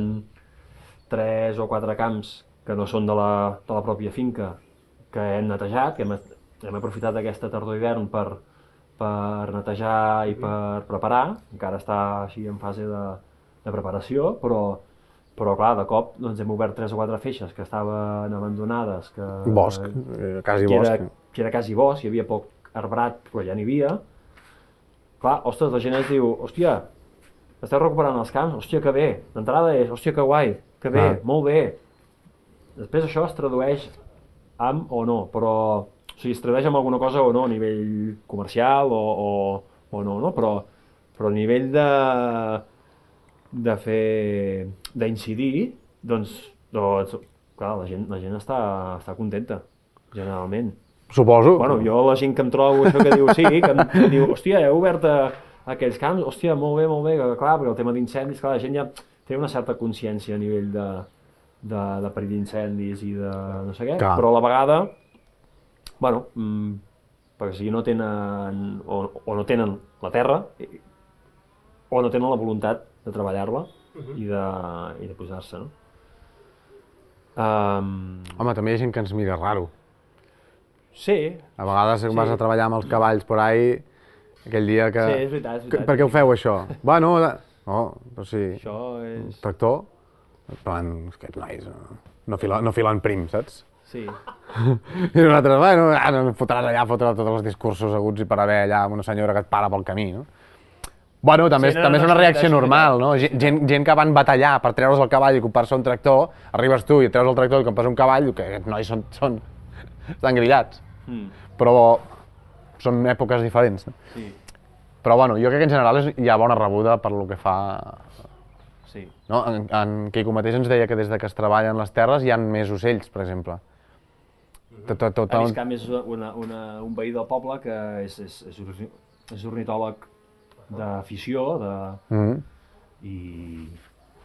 3 o 4 camps que no són de la pròpia finca que hem netejat, que hem aprofitat aquesta tardor d'hivern per netejar i per preparar. Encara està així en fase de preparació, però Però clar, de cop doncs, hem obert 3 o 4 feixes que estaven abandonades, Bosc, quasi bosc. Que era quasi bosc, hi havia poc arbrat, però ja n'hi havia. Clar, ostres, la gent ens diu, hòstia, esteu recuperant els camps, hòstia, que bé. D'entrada és, hòstia, que guai, que bé, molt bé. Després això es tradueix amb o no, però... O sigui, es tradueix amb alguna cosa o no, a nivell comercial o no, però a nivell de fer... d'incidir, doncs, clar, la gent està contenta, generalment. Suposo. Bueno, jo la gent que em trobo això que diu, sí, que em diu, hòstia, heu obert aquells camps, hòstia, molt bé, que clar, perquè el tema d'incendis, clar, la gent ja té una certa consciència a nivell de perill d'incendis i de no sé què, però a la vegada, bueno, perquè si no tenen, o no tenen la terra, o no tenen la voluntat de treballar-la i de posar-se, no? Home, també hi ha gent que ens mira raro. Sí. A vegades vas a treballar amb els cavalls por ahí, aquell dia que... Sí, és veritat. Per què ho feu, això? Bueno, no, però sí... Això és... Tractor? En plan, aquests nois no filen prim, saps? Sí. I nosaltres, bueno, no fotràs allà a fotre tots els discursos aguts i per haver allà una senyora que et para pel camí, no? Bueno, també és una reacció normal, no? Gent que van batallar per treure's el cavall i comprar-se un tractor, arribes tu i et treus el tractor i compres un cavall, que aquests nois estan grillats. Però són èpoques diferents, no? Sí. Però bueno, jo crec que en general hi ha bona rebuda per lo que fa... Sí. No? En Quico mateix ens deia que des de que es treballen les terres hi ha més ocells, per exemple. A més, Camp és un veí del poble que és ornitòleg d'afició, i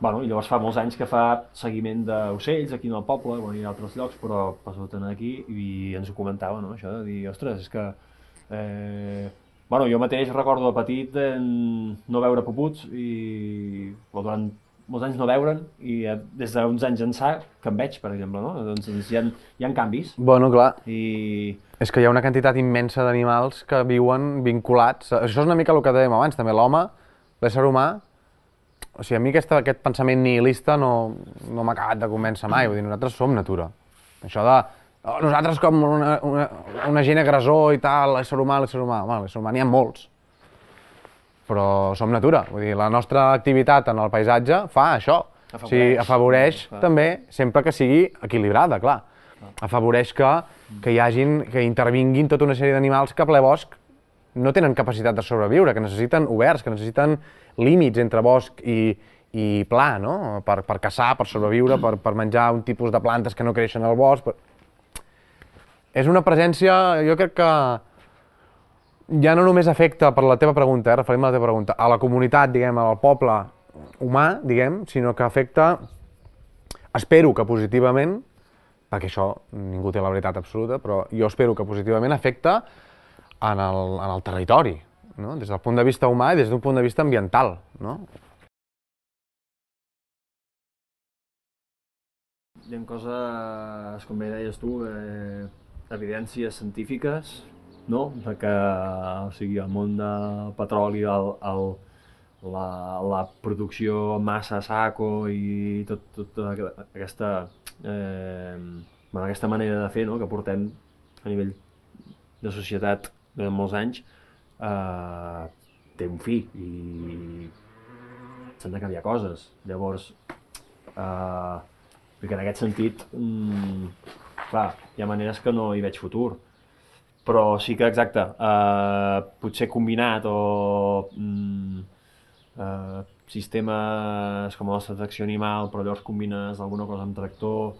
llavors fa molts anys que fa seguiment d'ocells aquí en el poble, i a altres llocs, però passat aquí i ens ho comentava, no? Això de dir, ostres, és que... jo mateix recordo de petit no veure puputs i durant molts anys no veure'n i des d'uns anys ençà que en veig, per exemple, no? Doncs hi ha canvis. Bueno, clar. I... És que hi ha una quantitat immensa d'animals que viuen vinculats. Això és una mica el que dèiem abans, també l'home, l'ésser humà. O sigui, a mi aquest pensament nihilista no m'ha acabat de convèncer mai. Vull dir, nosaltres som natura. Això de nosaltres com una gent agressor i tal, l'ésser humà. Home, l'ésser humà n'hi ha molts. Però som natura. Vull dir, la nostra activitat en el paisatge fa això. O sigui, afavoreix també, sempre que sigui equilibrada, clar. Afavoreix que intervinguin tota una sèrie d'animals que a ple bosc no tenen capacitat de sobreviure, que necessiten oberts, que necessiten límits entre bosc i pla, no? Per caçar, per sobreviure, per menjar un tipus de plantes que no creixen al bosc. És una presència, jo crec que ja no només afecta, per la teva pregunta, referint-me a la teva pregunta, a la comunitat, diguem, al poble humà, diguem, sinó que afecta, espero que positivament, perquè això ningú té la veritat absoluta, però jo espero que positivament afecta en el territori, no? Des del punt de vista humà i des d'un punt de vista ambiental, no? Hi ha coses, com bé deies tu, evidències científiques, no? De que, o sigui, el món del petroli, la producció massa a saco i tota aquesta manera de fer, no? Que portem a nivell de societat de molts anys, té un fi i s'han de canviar coses. Llavors, perquè en aquest sentit, clar, hi ha maneres que no hi veig futur, però sí que, exacte, potser combinat o sistemes com el nostre tracció animal, però llavors combines alguna cosa amb tractor,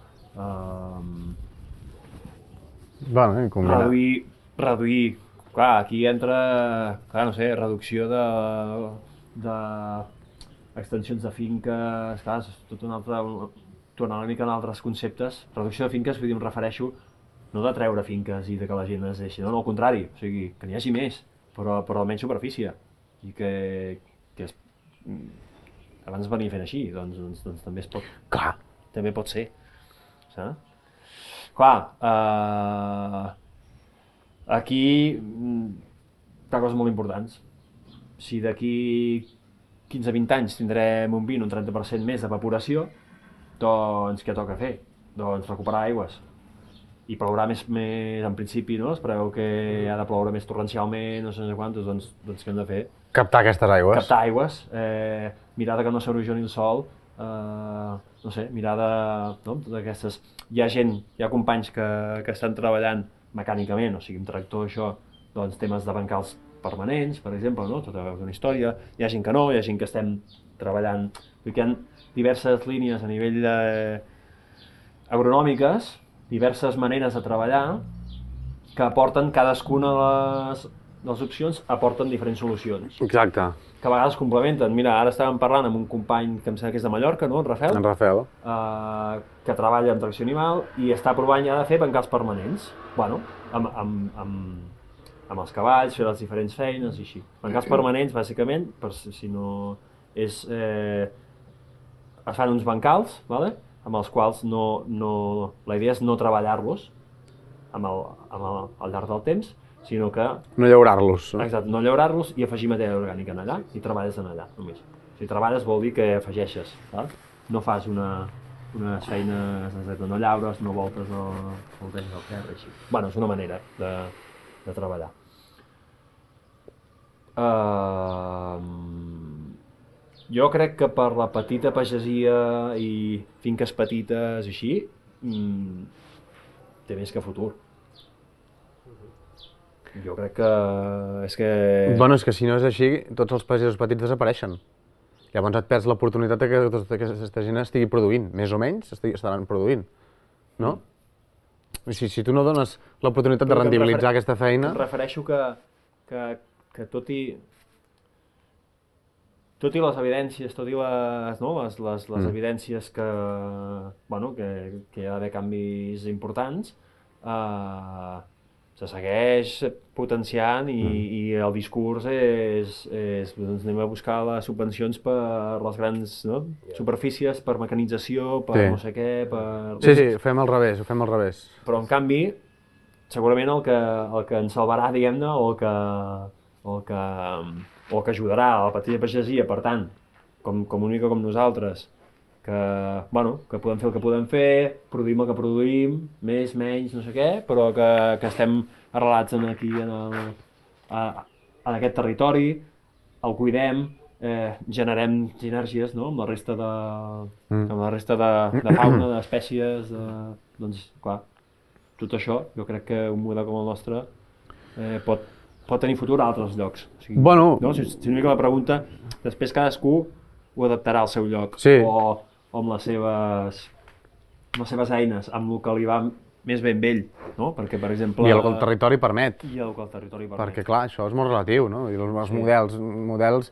reduir, clar, aquí entra, clar, no sé, reducció d'extensions de finques, clar, és tot un altre, tornar una mica en altres conceptes. Reducció de finques, vull dir, em refereixo no de treure finques i de que la gent es deixi, no, al contrari, o sigui, que n'hi hagi més, però a menys superfície, i que abans venia fent així, doncs també es pot... Clar. També pot ser, saps? Clar, aquí hi ha coses molt importants. Si d'aquí 15-20 anys tindrem un 20 o un 30% més d'evaporació, doncs què toca fer? Doncs recuperar aigües. I plourà més en principi, no? Es preveu que ha de ploure més torrencialment, no sé quantos, doncs què hem de fer? Captar aquestes aigües. Captar aigües, mirar que no s'erosioni el sòl, no sé, mirar no? Totes aquestes... Hi ha companys que estan treballant mecànicament, o sigui, amb tractor, això, doncs temes de bancals permanents, per exemple, no? Tota una història. Hi ha gent que no, hi ha gent que estem treballant... Hi ha diverses línies a nivell agronòmiques, diverses maneres de treballar que aporten cadascuna de les opcions, aporten diferents solucions. Exacte. Que a vegades complementen. Mira, ara estàvem parlant amb un company que em sembla que és de Mallorca, no? En Rafael. En Rafael. Que treballa amb tracció animal i està provant ja de fer bancals permanents. Bueno, amb els cavalls, fer les diferents feines i així. Bancals permanents, bàsicament, per si no és... es fan uns bancals, ¿vale? Amb els quals la idea és no treballar-los al llarg del temps, sinó que... No llaurar-los. Exacte, no llaurar-los i afegir matèria orgànica en allà, i treballes en allà, només. Si treballes vol dir que afegeixes, val? No fas unes feines, no llaures, no voltes el temps del terra, així. Bueno, és una manera de treballar. Jo crec que per la petita pagesia i finques petites i així, té més que futur. Jo crec que és que... Bueno, és que si no és així, tots els pagesos petits desapareixen. Llavors et perds l'oportunitat que tota aquesta gent estigui produint, més o menys estaran produint, no? Si tu no dones l'oportunitat de rendibilitzar aquesta feina... Em refereixo que tot i les evidències, tot i les evidències que hi ha d'haver canvis importants, se segueix potenciant i el discurs és doncs anem a buscar les subvencions per les grans superfícies, per mecanització, per no sé què, per... Sí, ho fem al revés, Però en canvi, segurament el que ens salvarà, diguem-ne, o que ajudarà a la petita pagesia, per tant, com una mica com nosaltres, que podem fer el que podem fer, produïm el que produïm, més, menys, no sé què, però que estem arrelats aquí en aquest territori, el cuidem, generem sinergies amb la resta de fauna, d'espècies, doncs clar, tot això, jo crec que un model com el nostre pot tenir futur a altres llocs. O sigui, si una mica la pregunta, després cadascú ho adaptarà al seu lloc, o amb les seves eines, amb el que li va més ben vell, no? Perquè, per exemple... I el que el territori permet. Perquè, clar, això és molt relatiu, no? I els models...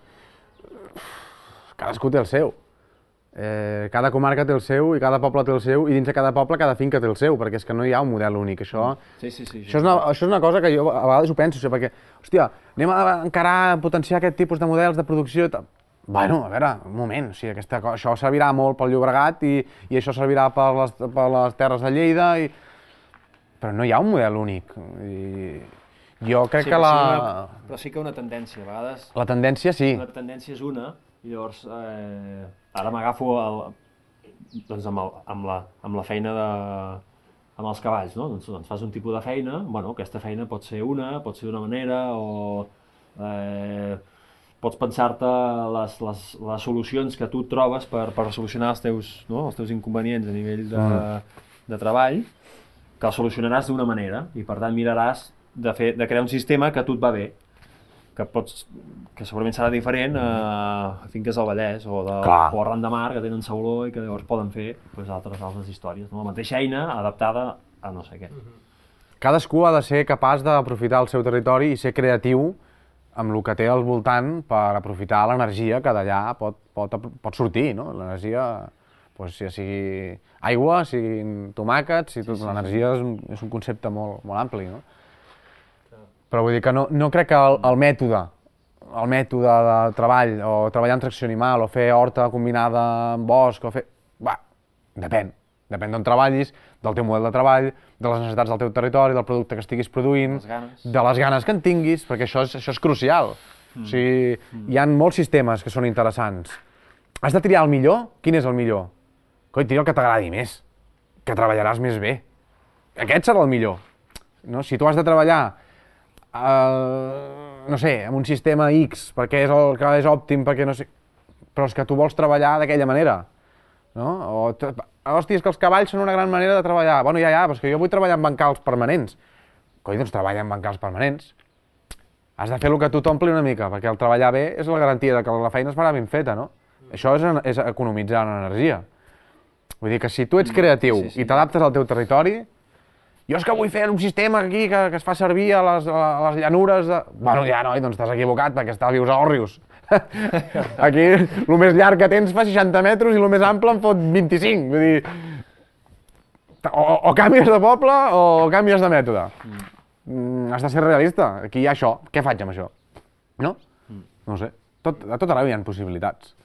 Cadascú té el seu. Cada comarca té el seu, i cada poble té el seu, i dins de cada poble cada finca té el seu, perquè és que no hi ha un model únic. Això és una cosa que jo a vegades ho penso, perquè, hòstia, anem a encarar, a potenciar aquest tipus de models de producció i tal. Bueno, a veure, un moment, o sigui, això servirà molt pel Llobregat i això servirà per les terres de Lleida, però no hi ha un model únic. Jo crec que Però sí que una tendència, a vegades... La tendència sí. La tendència és una, i llavors ara m'agafo amb la feina amb els cavalls, no? Doncs fas un tipus de feina, aquesta feina pot ser d'una manera, o pots pensar-te les solucions que tu trobes per solucionar els teus inconvenients a nivell de treball, que els solucionaràs d'una manera, i per tant miraràs de crear un sistema que a tu et va bé, que segurament serà diferent a finques del Vallès o arran de mar, que tenen sauló i que llavors poden fer altres històries. La mateixa eina adaptada a no sé què. Cadascú ha de ser capaç d'aprofitar el seu territori i ser creatiu amb el que té al voltant per aprofitar l'energia que d'allà pot sortir, no? L'energia, ja sigui aigua, siguin tomàquets, l'energia és un concepte molt ampli, no? Però vull dir que no crec que el mètode de treball, o treballar en tracció animal, o fer horta combinada amb bosc, depèn d'on treballis, del teu model de treball, de les necessitats del teu territori, del producte que estiguis produint, de les ganes que en tinguis, perquè això és crucial. O sigui, hi ha molts sistemes que són interessants. Has de triar el millor? Quin és el millor? coi, tira el que t'agradi més, que treballaràs més bé. Aquest serà el millor. No? Si tu has de treballar, no sé, en un sistema X, perquè és el que és òptim, perquè no sé... Però és que tu vols treballar d'aquella manera. No? Hòstia, és que els cavalls són una gran manera de treballar. Bueno, ja, però és que jo vull treballar en bancals permanents. Coi, doncs treballa en bancals permanents. Has de fer el que a tu t'ompli una mica, perquè el treballar bé és la garantia de que la feina es farà ben feta, no? Això és economitzar en energia. Vull dir que si tu ets creatiu i t'adaptes al teu territori, jo és que vull fer un sistema aquí que es fa servir a les llanures de... Bueno, ja, noi, doncs t'has equivocat, perquè vius a Òrrius. Aquí, el més llarg que tens fa 60 metres i el més ample en fot 25. Vull dir, o canvies de poble o canvies de mètode. Has de ser realista. Aquí hi ha això. Què faig amb això? No? No ho sé. A tot arreu hi ha possibilitats.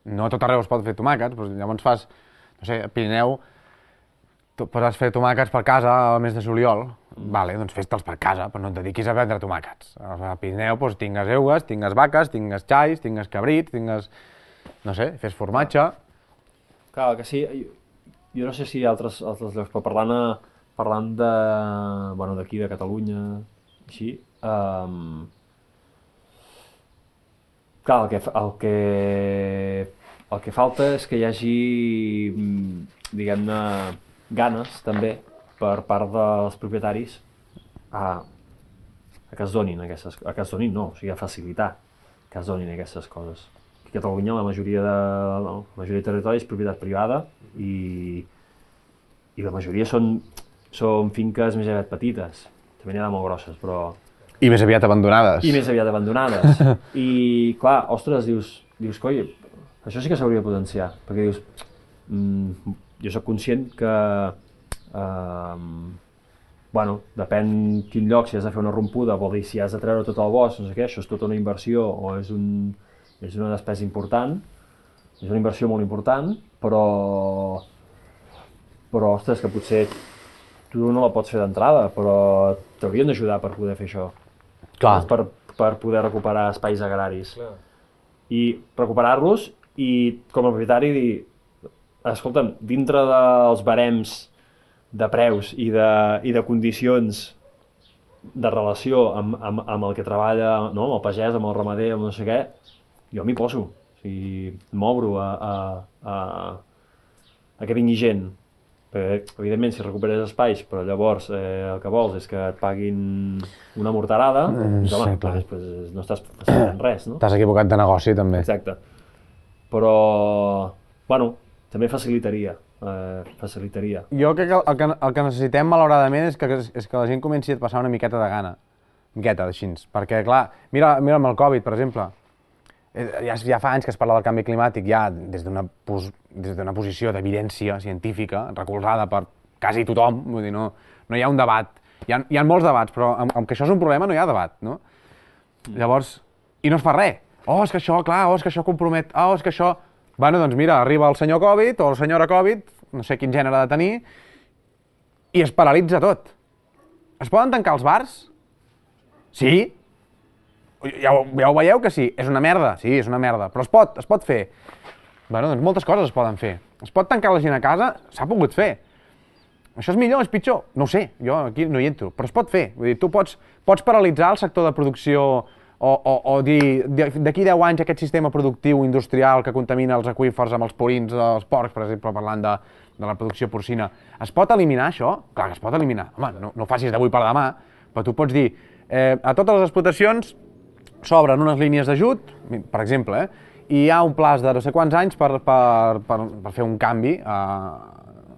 No a tot arreu es pot fer tomàquets, però llavors fas, no sé, a Pirineu, tu pots fer tomàquets per casa al mes de juliol. Vale, doncs fes-te'ls per casa, però no et dediquis a vendre tomàquets. A Pirineu doncs, tingues eugues, tingues vaques, tingues xais, tingues cabrits, tingues... No sé, fes formatge. Clar, que sí, jo no sé si altres llocs, però parlant de, bueno, d'aquí, de Catalunya, així, clar, el que falta és que hi hagi, diguem-ne, ganes, també, per part dels propietaris a que es donin aquestes... A que es donin, no, o sigui, a facilitar que es donin aquestes coses. A Catalunya la majoria de territori és propietat privada i la majoria són finques més aviat petites. També n'hi ha de molt grosses, però... I més aviat abandonades. I més aviat abandonades. I, clar, ostres, dius, coi, això sí que s'hauria de potenciar, perquè dius, jo sóc conscient que, bueno, depèn quin lloc, si has de fer una rompuda, vol dir, si has de treure tot el bosc, no sé què, això és tota una inversió o és una despesa important, és una inversió molt important, però, ostres, que potser tu no la pots fer d'entrada, però t'haurien d'ajudar per poder fer això. Clar. Per poder recuperar espais agraris. Clar. I recuperar-los i, com a propietari, dir, escolta'm, dintre dels barems de preus i de condicions de relació amb el que treballa, no? Amb el pagès, amb el ramader, amb no sé què, jo m'hi poso. O sigui, m'obro a que vingui gent. Perquè, evidentment, si recuperes espais, però llavors el que vols és que et paguin una morterada, doncs, home, després no estàs facilitant res, no? T'has equivocat de negoci, també. Exacte. Però, bueno, també facilitaria. Jo crec que el que necessitem, malauradament, és que la gent comenci a passar una miqueta de gana. Miqueta, així. Perquè, clar, mira amb el Covid, per exemple. Ja fa anys que es parla del canvi climàtic, ja des d'una posició d'evidència científica, recolzada per quasi tothom, vull dir, no hi ha un debat. Hi ha molts debats, però amb que això és un problema no hi ha debat, no? Llavors, i no es fa res. És que això, clar, és que això compromet, és que això... Bueno, doncs mira, arriba el senyor Covid o la senyora Covid, no sé quin gènere ha de tenir, i es paralitza tot. Es poden tancar els bars? Sí. Ja ho veieu que sí, és una merda, sí, és una merda, però es pot fer. Bueno, doncs moltes coses es poden fer. Es pot tancar la gent a casa, s'ha pogut fer. Això és millor, és pitjor? No ho sé, jo aquí no hi entro, però es pot fer. Vull dir, tu pots paralitzar el sector de producció o dir, d'aquí 10 anys aquest sistema productiu industrial que contamina els aqüífers amb els purins dels porcs, per exemple, parlant de la producció porcina, es pot eliminar això? Clar que es pot eliminar. Home, no ho facis d'avui per demà, però tu pots dir, a totes les explotacions s'obren unes línies d'ajut, per exemple, i hi ha un plaç de no sé quants anys per fer un canvi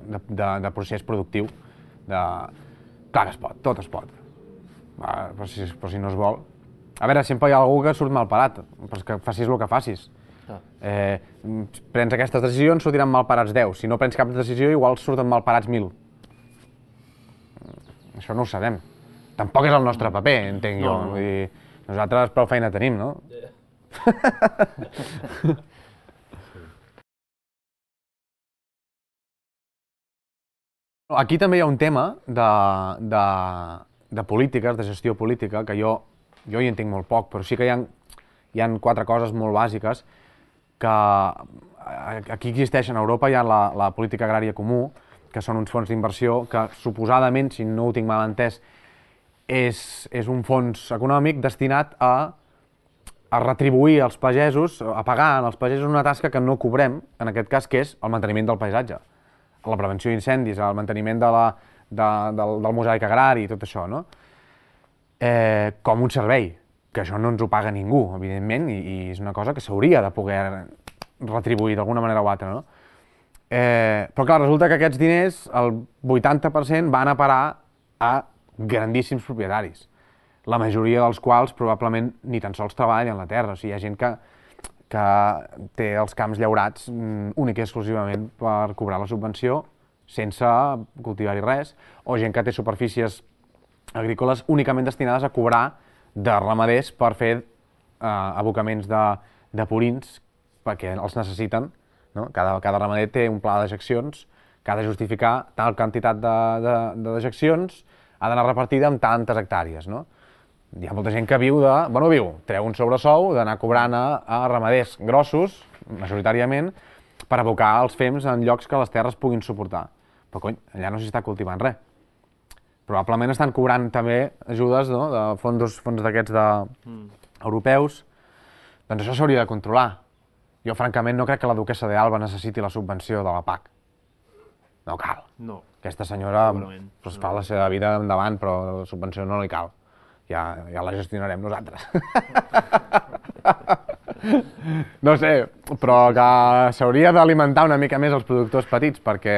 de procés productiu. Clar que es pot, tot es pot, però si no es vol. A veure, sempre hi ha algú que surt mal parat, però que facis el que facis. Prens aquestes decisions, sortiran mal parats 10. Si no prens cap decisió, igual surten mal parats 1.000. Això no ho sabem. Tampoc és el nostre paper, entenc jo. Vull dir, nosaltres prou feina tenim, no? Aquí també hi ha un tema de polítiques, de gestió política, que jo hi entenc molt poc, però sí que hi ha 4 coses molt bàsiques que aquí existeixen, a Europa hi ha la política agrària comú, que són uns fons d'inversió que suposadament, si no ho tinc mal entès, és un fons econòmic destinat a retribuir als pagesos, a pagar als pagesos una tasca que no cobrem, en aquest cas, que és el manteniment del paisatge, la prevenció d'incendis, el manteniment del mosaic agrari i tot això, no? Com un servei, que això no ens ho paga ningú, evidentment, i és una cosa que s'hauria de poder retribuir d'alguna manera o altra, no? Però clar, resulta que aquests diners, el 80% van a parar a grandíssims propietaris, la majoria dels quals probablement ni tan sols treballen la terra, o sigui, hi ha gent que té els camps llaurats únic i exclusivament per cobrar la subvenció sense cultivar-hi res, o gent que té superfícies agrícoles únicament destinades a cobrar de ramaders per fer abocaments de purins perquè els necessiten, no? Cada ramader té un pla d'ejeccions que ha de justificar tal quantitat de dejeccions, ha d'anar repartida amb tantes hectàrees, no? Hi ha molta gent que treu un sobresou d'anar cobrant a ramaders grossos, majoritàriament, per abocar els fems en llocs que les terres puguin suportar. Però cony, allà no s'hi està cultivant res. Probablement estan cobrant també ajudes, no?, de fons d'aquests europeus. Doncs això s'hauria de controlar. Jo, francament, no crec que la duquessa d'Alba necessiti la subvenció de la PAC. No cal. No. Aquesta senyora fa la seva vida endavant, però la subvenció no li cal. Ja la gestionarem nosaltres. No sé, però que s'hauria d'alimentar una mica més els productors petits, perquè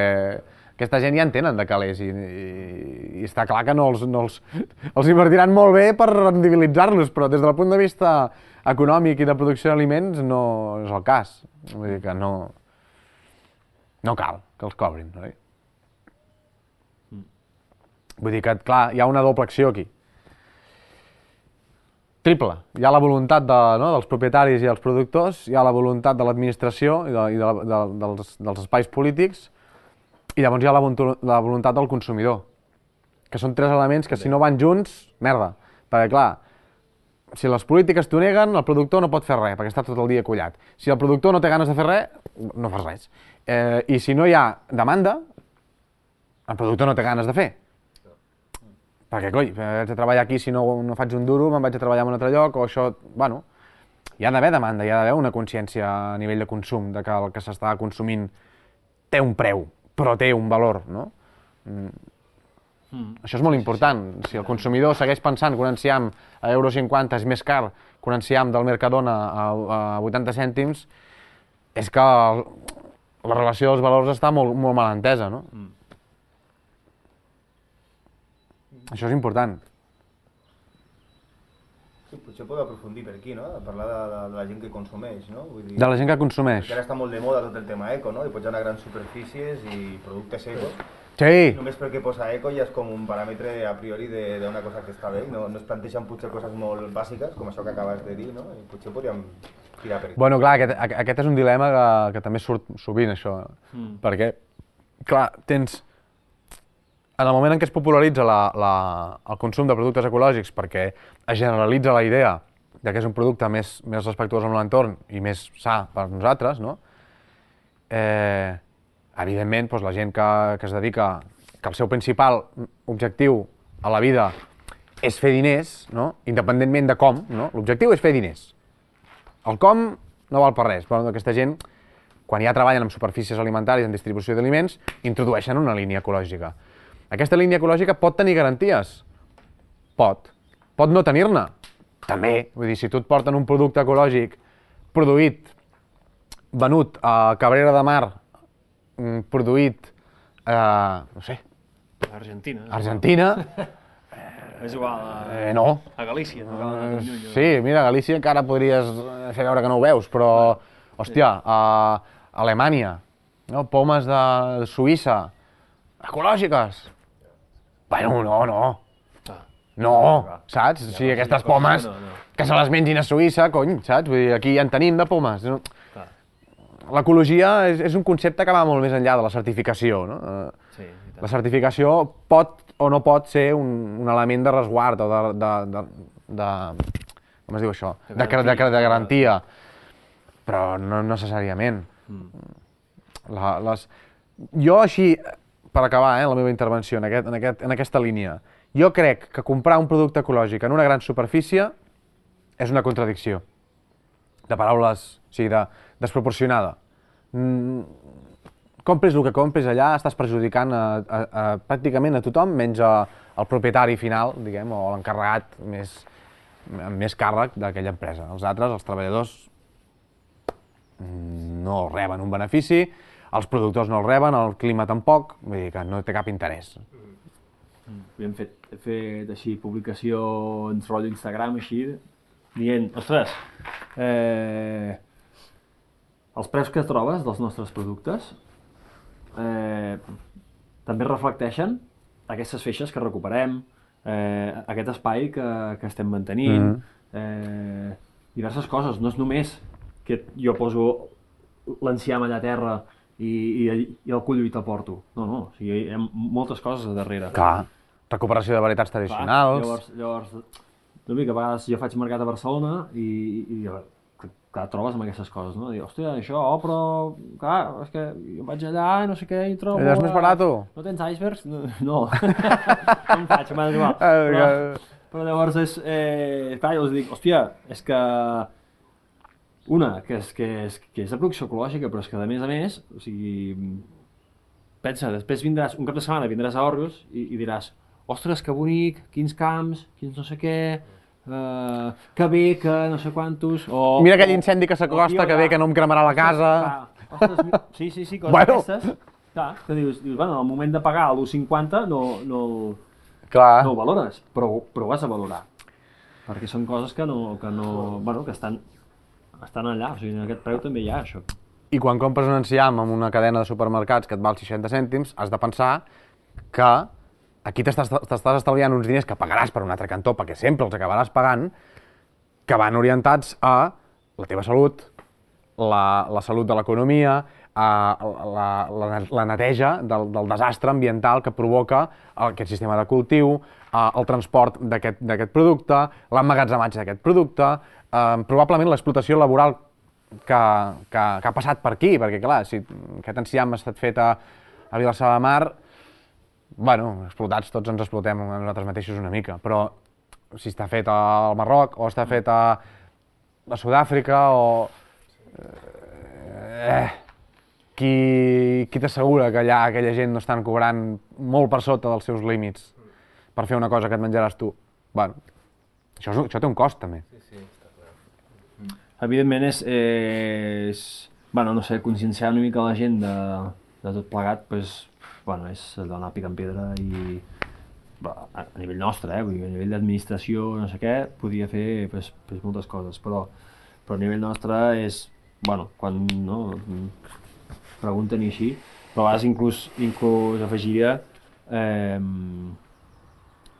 aquesta gent ja entenen de calés i està clar que no els invertiran molt bé per rendibilitzar-los, però des del punt de vista econòmic i de producció d'aliments no és el cas. Vull dir que no cal que els cobrin, oi? Vull dir que, clar, hi ha una doble acció aquí. Triple. Hi ha la voluntat dels propietaris i els productors, hi ha la voluntat de l'administració i dels espais polítics, i llavors hi ha la voluntat del consumidor, que són tres elements que si no van junts, merda. Perquè, clar, si les polítiques t'ho neguen, el productor no pot fer res, perquè està tot el dia collat. Si el productor no té ganes de fer res, no fas res. I si no hi ha demanda, el productor no té ganes de fer. Perquè, coi, haig de treballar aquí, si no faig un duro, me'n vaig a treballar en un altre lloc, o això... Bueno, hi ha d'haver demanda, hi ha d'haver una consciència a nivell de consum, de que el que s'està consumint té un preu, però té un valor, no? Això és molt important. Si el consumidor segueix pensant que un enciam a €1,50 és més car que un enciam del Mercadona a 80 cèntims, és que la relació dels valors està molt mal entesa, no? Això és important. Sí, potser podeu aprofundir per aquí, no? A parlar de la gent que consumeix, no? Vull dir, De la gent que consumeix. perquè ara està molt de moda tot el tema eco, no? I pots anar a grans superfícies i productes ecos. Sí. Només perquè posa eco ja és com un paràmetre a priori d'una cosa que està bé. No es planteixen potser coses molt bàsiques, com això que acabes de dir, no? I potser podríem tirar per aquí. Bueno, clar, aquest és un dilema que també surt sovint, això. Perquè, clar, en el moment en què es popularitza el consum de productes ecològics perquè es generalitza la idea que és un producte més respectuós amb l'entorn i més sa per nosaltres, no? Evidentment, la gent que es dedica, que el seu principal objectiu a la vida és fer diners, no? Independentment de com, no? L'objectiu és fer diners. El com no val per res, però aquesta gent, quan ja treballen amb superfícies alimentàries en distribució d'aliments, introdueixen una línia ecològica. Aquesta línia ecològica pot tenir garanties? Pot. Pot no tenir-ne? També. Vull dir, si tu et porten un producte ecològic produït, venut a Cabrera de Mar, produït no sé... Argentina. És igual a Galícia. Sí, mira, a Galícia encara podries fer veure que no ho veus, però, hòstia, a Alemanya, pomes de Suïssa, ecològiques. Bueno, no, saps? O sigui, aquestes pomes que se les mengin a Suïssa, cony, saps? Vull dir, aquí ja en tenim de pomes. L'ecologia és un concepte que va molt més enllà de la certificació, no? La certificació pot o no pot ser un element de resguard o de com es diu això? De garantia, però no necessàriament. Jo així, per acabar la meva intervenció en aquesta línia, jo crec que comprar un producte ecològic en una gran superfície és una contradicció de paraules, o sigui, desproporcionada. Compres el que compres allà, estàs perjudicant pràcticament a tothom, menys al propietari final, diguem, o l'encarregat amb més càrrec d'aquella empresa. Els altres, els treballadors, no reben un benefici, els productors no el reben, el clima tampoc, vull dir que no té cap interès. Hem fet així publicacions, rotllo Instagram, així, dient, ostres, els preus que trobes dels nostres productes també reflecteixen aquestes feixes que recuperem, aquest espai que estem mantenint, diverses coses, no és només que jo poso l'enciam allà a terra i el cullo i te'l porto. No, o sigui, hi ha moltes coses a darrere. Clar, recuperació de varietats tradicionals. Llavors, no dic, a vegades jo faig mercat a Barcelona i clar, trobes amb aquestes coses, no? Dius, hòstia, això, però, clar, és que jo vaig allà i no sé què, i trobo... Allà és més barat? No tens icebergs? No. Com faig? M'ha igual. Però llavors és... Clar, jo els dic, hòstia, és que... Una, que és de producció ecològica, però és que a més, o sigui... Pensa, després vindràs, un cap de setmana vindràs a Òrrius i diràs, ostres, que bonic, quins camps, quins no sé què... que bé, que no sé quantos... Mira aquell incendi que s'acosta, que bé, que no em cremarà la casa... Sí, coses d'aquestes. Clar, que dius, bueno, al moment de pagar l'1,50 no ho valores, però ho has de valorar. Perquè són coses que estan allà, o sigui, en aquest preu també hi ha això. I quan compres un enciam en una cadena de supermercats que et val 60 cèntims, has de pensar que aquí t'estàs estalviant uns diners que pagaràs per un altre cantó, perquè sempre els acabaràs pagant, que van orientats a la teva salut, la salut de l'economia, la neteja del desastre ambiental que provoca aquest sistema de cultiu, el transport d'aquest producte, l'emmagatzematge d'aquest producte, probablement l'explotació laboral que ha passat per aquí, perquè clar, si aquest enciam ha estat fet a Vilassar de Mar, bueno, explotats, tots ens explotem a nosaltres mateixos una mica, però si està fet al Marroc o està fet a Sud-àfrica o... Qui t'assegura que allà aquella gent no estan cobrant molt per sota dels seus límits per fer una cosa que et menjaràs tu? Bueno, això té un cost també. Sí, està clar. Evidentment és bueno, no sé, conscienciar una mica la gent de tot plegat, doncs, bueno, és donar pic en pedra i a nivell nostre, vull dir, a nivell d'administració, no sé què, podia fer pues, moltes coses, però a nivell nostre és, bueno, quan no, pregunten i així, però a vegades inclús afegiria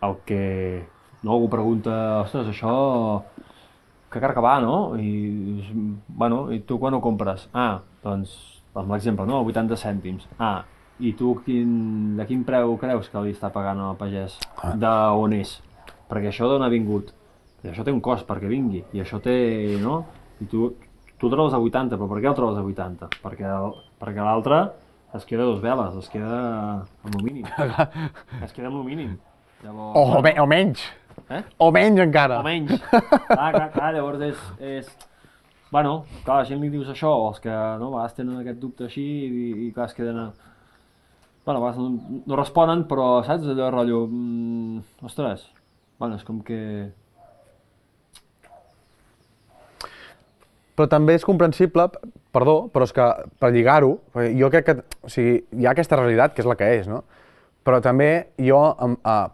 el que no, algú pregunta, ostres, això que car que va, no? I, bueno, i tu quan ho compres? Doncs, amb l'exemple, no? 80 cèntims. I tu de quin preu creus que li està pagant al pagès? D'on és? Perquè això d'on ha vingut? I això té un cost perquè vingui, i això té, no? I tu el trobes a 80, però per què el trobes a 80? Perquè l'altre es queda a 2 veles, es queda amb el mínim. Es queda amb el mínim. Llavors, o menys. O menys encara. O menys. Clar, llavors és... Bueno, clar, la gent li dius això, els que no, a vegades tenen aquest dubte així i clar, es queden... Bueno, a vegades no responen, però saps allò rotllo... Ostres, bueno, és com que... Però també és comprensible, perdó, però és que per lligar-ho, jo crec que o sigui, hi ha aquesta realitat que és la que és, no? Però també jo,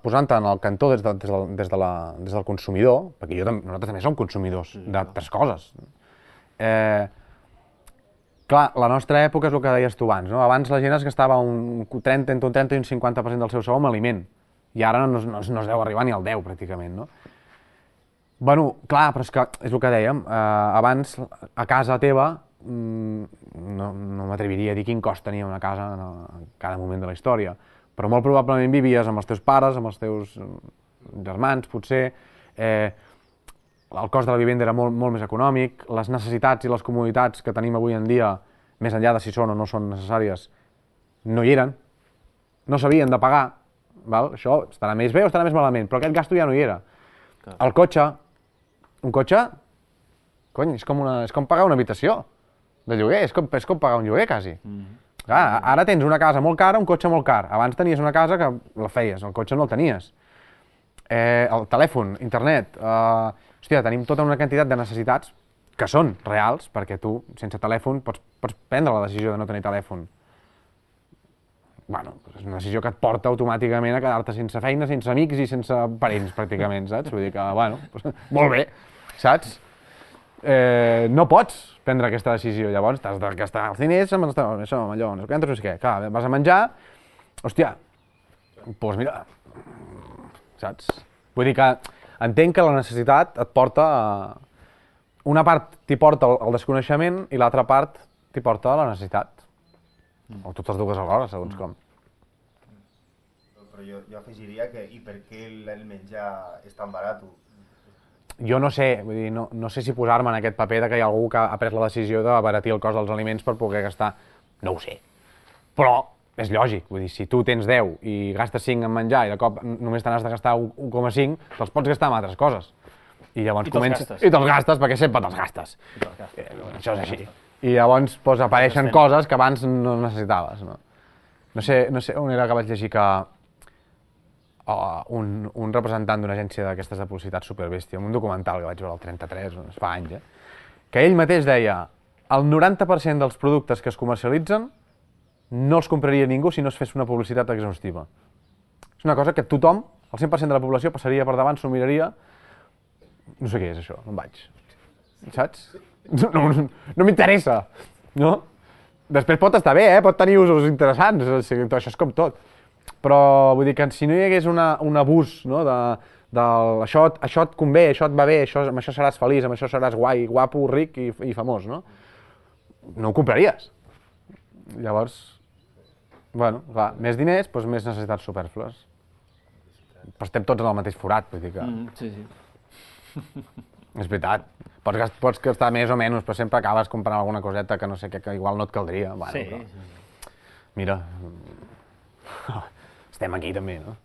posant-te en el cantó des del consumidor, perquè nosaltres també som consumidors d'altres coses. Clar, la nostra època és el que deies tu abans, no? Abans la gent es gastava entre un 30 i un 50% del seu sou en aliment, i ara no es deu arribar ni al 10, pràcticament, no? Bueno, clar, però és que és el que dèiem, abans a casa teva no m'atreviria a dir quin cost tenia una casa en cada moment de la història, però molt probablement vivies amb els teus pares, amb els teus germans, potser, el cost de la vivenda era molt més econòmic, les necessitats i les comoditats que tenim avui en dia més enllà de si són o no són necessàries, no hi eren, no s'havien de pagar, val? Això estarà més bé o estarà més malament, però aquest gasto ja no hi era. El cotxe, un cotxe, cony, és com pagar una habitació de lloguer, és com pagar un lloguer, quasi. Clar, ara tens una casa molt cara, un cotxe molt car. Abans tenies una casa que la feies, el cotxe no el tenies. El telèfon, internet, hòstia, tenim tota una quantitat de necessitats que són reals, perquè tu, sense telèfon, pots prendre la decisió de no tenir telèfon. Bueno, és una decisió que et porta automàticament a quedar-te sense feina, sense amics i sense parents, pràcticament, saps? Vull dir que, bueno, molt bé, saps? No pots prendre aquesta decisió, llavors t'has de gastar els diners amb això, amb allò, no sé què, clar, vas a menjar, hòstia, doncs mira, saps? Vull dir que entenc que la necessitat et porta a... Una part t'hi porta al desconeixement i l'altra part t'hi porta a la necessitat. O totes dues alhora, segons com. Però jo afegiria que i per què el menjar és tan barat? Jo no sé, vull dir, no sé si posar-me en aquest paper de que hi ha algú que ha pres la decisió d'abaratir el cost dels aliments per poder gastar. No ho sé. Però és lògic, vull dir, si tu tens 10 i gastes 5 en menjar i de cop només te n'has de gastar 1,5, te'ls pots gastar en altres coses. I llavors comences... I te'ls gastes, perquè sempre te'ls gastes. Això és així. I llavors apareixen coses que abans no necessitaves. No sé on era que vaig llegir que un representant d'una agència d'aquestes de publicitat superbèstia, en un documental que vaig veure al 33, fa anys, que ell mateix deia el 90% dels productes que es comercialitzen no els compraria ningú si no es fes una publicitat exhaustiva. És una cosa que tothom, el 100% de la població, passaria per davant, s'ho miraria, no sé què és això, no em vaig. Saps? No m'interessa, no? Després pot estar bé, pot tenir usos interessants, això és com tot. Però vull dir que si no hi hagués un abús, no? Això et convé, això et va bé, amb això seràs feliç, amb això seràs guai, guapo, ric i famós, no? No ho compraries. Llavors, bueno, clar, més diners, doncs més necessitats supèrflues. Però estem tots en el mateix forat, vull dir que... Sí, sí. És veritat. Pots gastar més o menys, però sempre acabes comprant alguna coseta que no sé què, que igual no et caldria. Bueno, sí, però... sí. Mira, estem aquí també, no?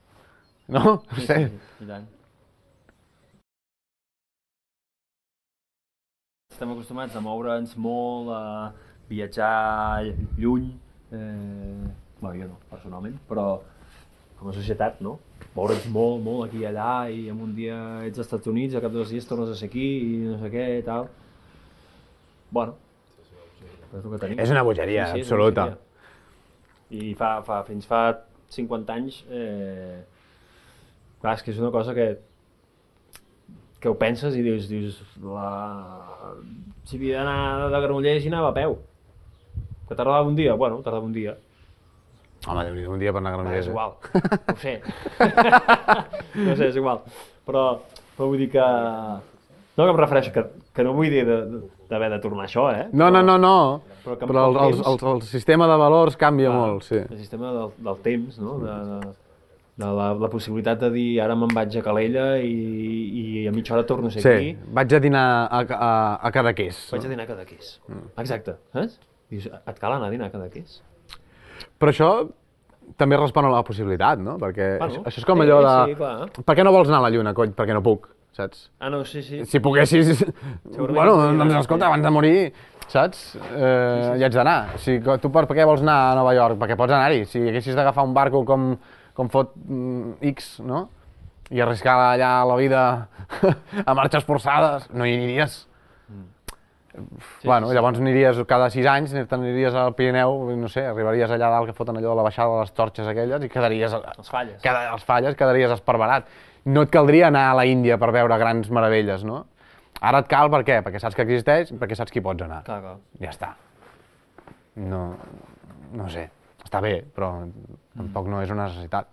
No? Sí, sé. Sí, i tant. Estem acostumats a moure'ns molt, a viatjar lluny, bueno, jo no, personalment, però com a societat, no? Moure'ns molt, molt aquí i allà, i en un dia ets als Estats Units, al cap de 2 dies tornes a ser aquí, i no sé què, i tal. Bueno, és el que tenim. És una bogeria, sí, absoluta. Una bogeria. I fins fa 50 anys, clar, és que és una cosa que ho penses i dius, si havia d'anar de Granollers i anava a peu. Que tardava un dia? Bueno, tardava un dia. Home, un dia per anar a Granollers. És igual, no ho sé. No sé, és igual. Però vull dir que... No, que em refereixo, que no vull dir d'haver de tornar a això, No. Però el sistema de valors canvia molt, sí. El sistema del temps, no? De la possibilitat de dir ara me'n vaig a Calella i a mitja hora torno a ser aquí. Sí, vaig a dinar a Cadaqués. Vaig a dinar a Cadaqués. Exacte, saps? Dius, et cal anar a dinar a Cadaqués? Però això també respon a la possibilitat, no? Perquè bueno, això és com allò de... Sí, clar. Per què no vols anar a la Lluna, cony? Perquè no puc, saps? Ah, no, sí. Si poguessis... Bueno, doncs escolta, abans de morir, saps? Hi haig d'anar. Tu per què vols anar a Nova York? Perquè pots anar-hi. Si haguessis d'agafar un barco com fot X, no? I arriscar allà la vida a marxes forçades, no hi aniries. Bueno, llavors aniries cada 6 anys, t'aniries al Pirineu, no sé, arribaries allà dalt que foten allò de la baixada de les torxes aquelles i quedaries... Els falles. Els falles, quedaries esparverat. No et caldria anar a la Índia per veure grans meravelles, no? Ara et cal per què? Perquè saps que existeix i perquè saps que hi pots anar. Clar. Ja està. No sé, està bé, però tampoc no és una necessitat.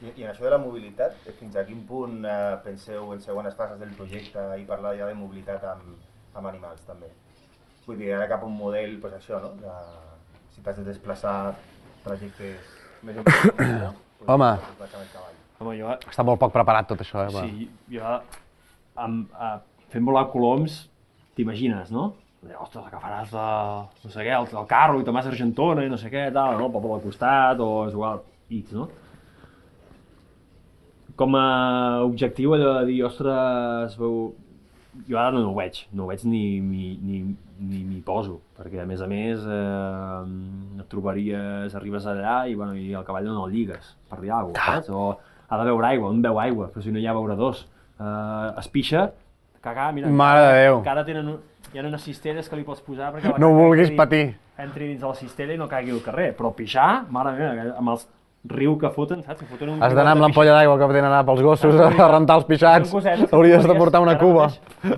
I en això de la mobilitat, fins a quin punt penseu en segones fases del projecte i parlar ja de mobilitat amb animals també? Vull dir, ara cap a un model, doncs això, no? Si t'has de desplaçar trajectes més importants, no? Home, jo... Està molt poc preparat tot això, Sí, jo... Fent volar coloms, t'imagines, no? ostres, agafaràs no sé què, el carro i te'n vas a Argentona i no sé què, tal, no? El poble al costat, o és igual, X, no? Com a objectiu allò de dir, ostres, jo ara no ho veig ni m'hi poso, perquè a més et trobaries, arribes allà i, bueno, i el cavall no el lligues, per dir alguna cosa, saps? O ha de beure aigua, on beu aigua, però si no hi ha beuradors. Es pixa, cagar, mira, Mare de Déu. encara hi ha unes cistelles que li pots posar perquè la No ho caca vulguis patir. entri dins de la cistella i no caigui al carrer, però pixar, mare meva, amb els riu que foten, saps? Que foten Has d'anar amb l'ampolla d'aigua que tenen anar pels gossos a rentar els pixats. Hauries de portar una cuba.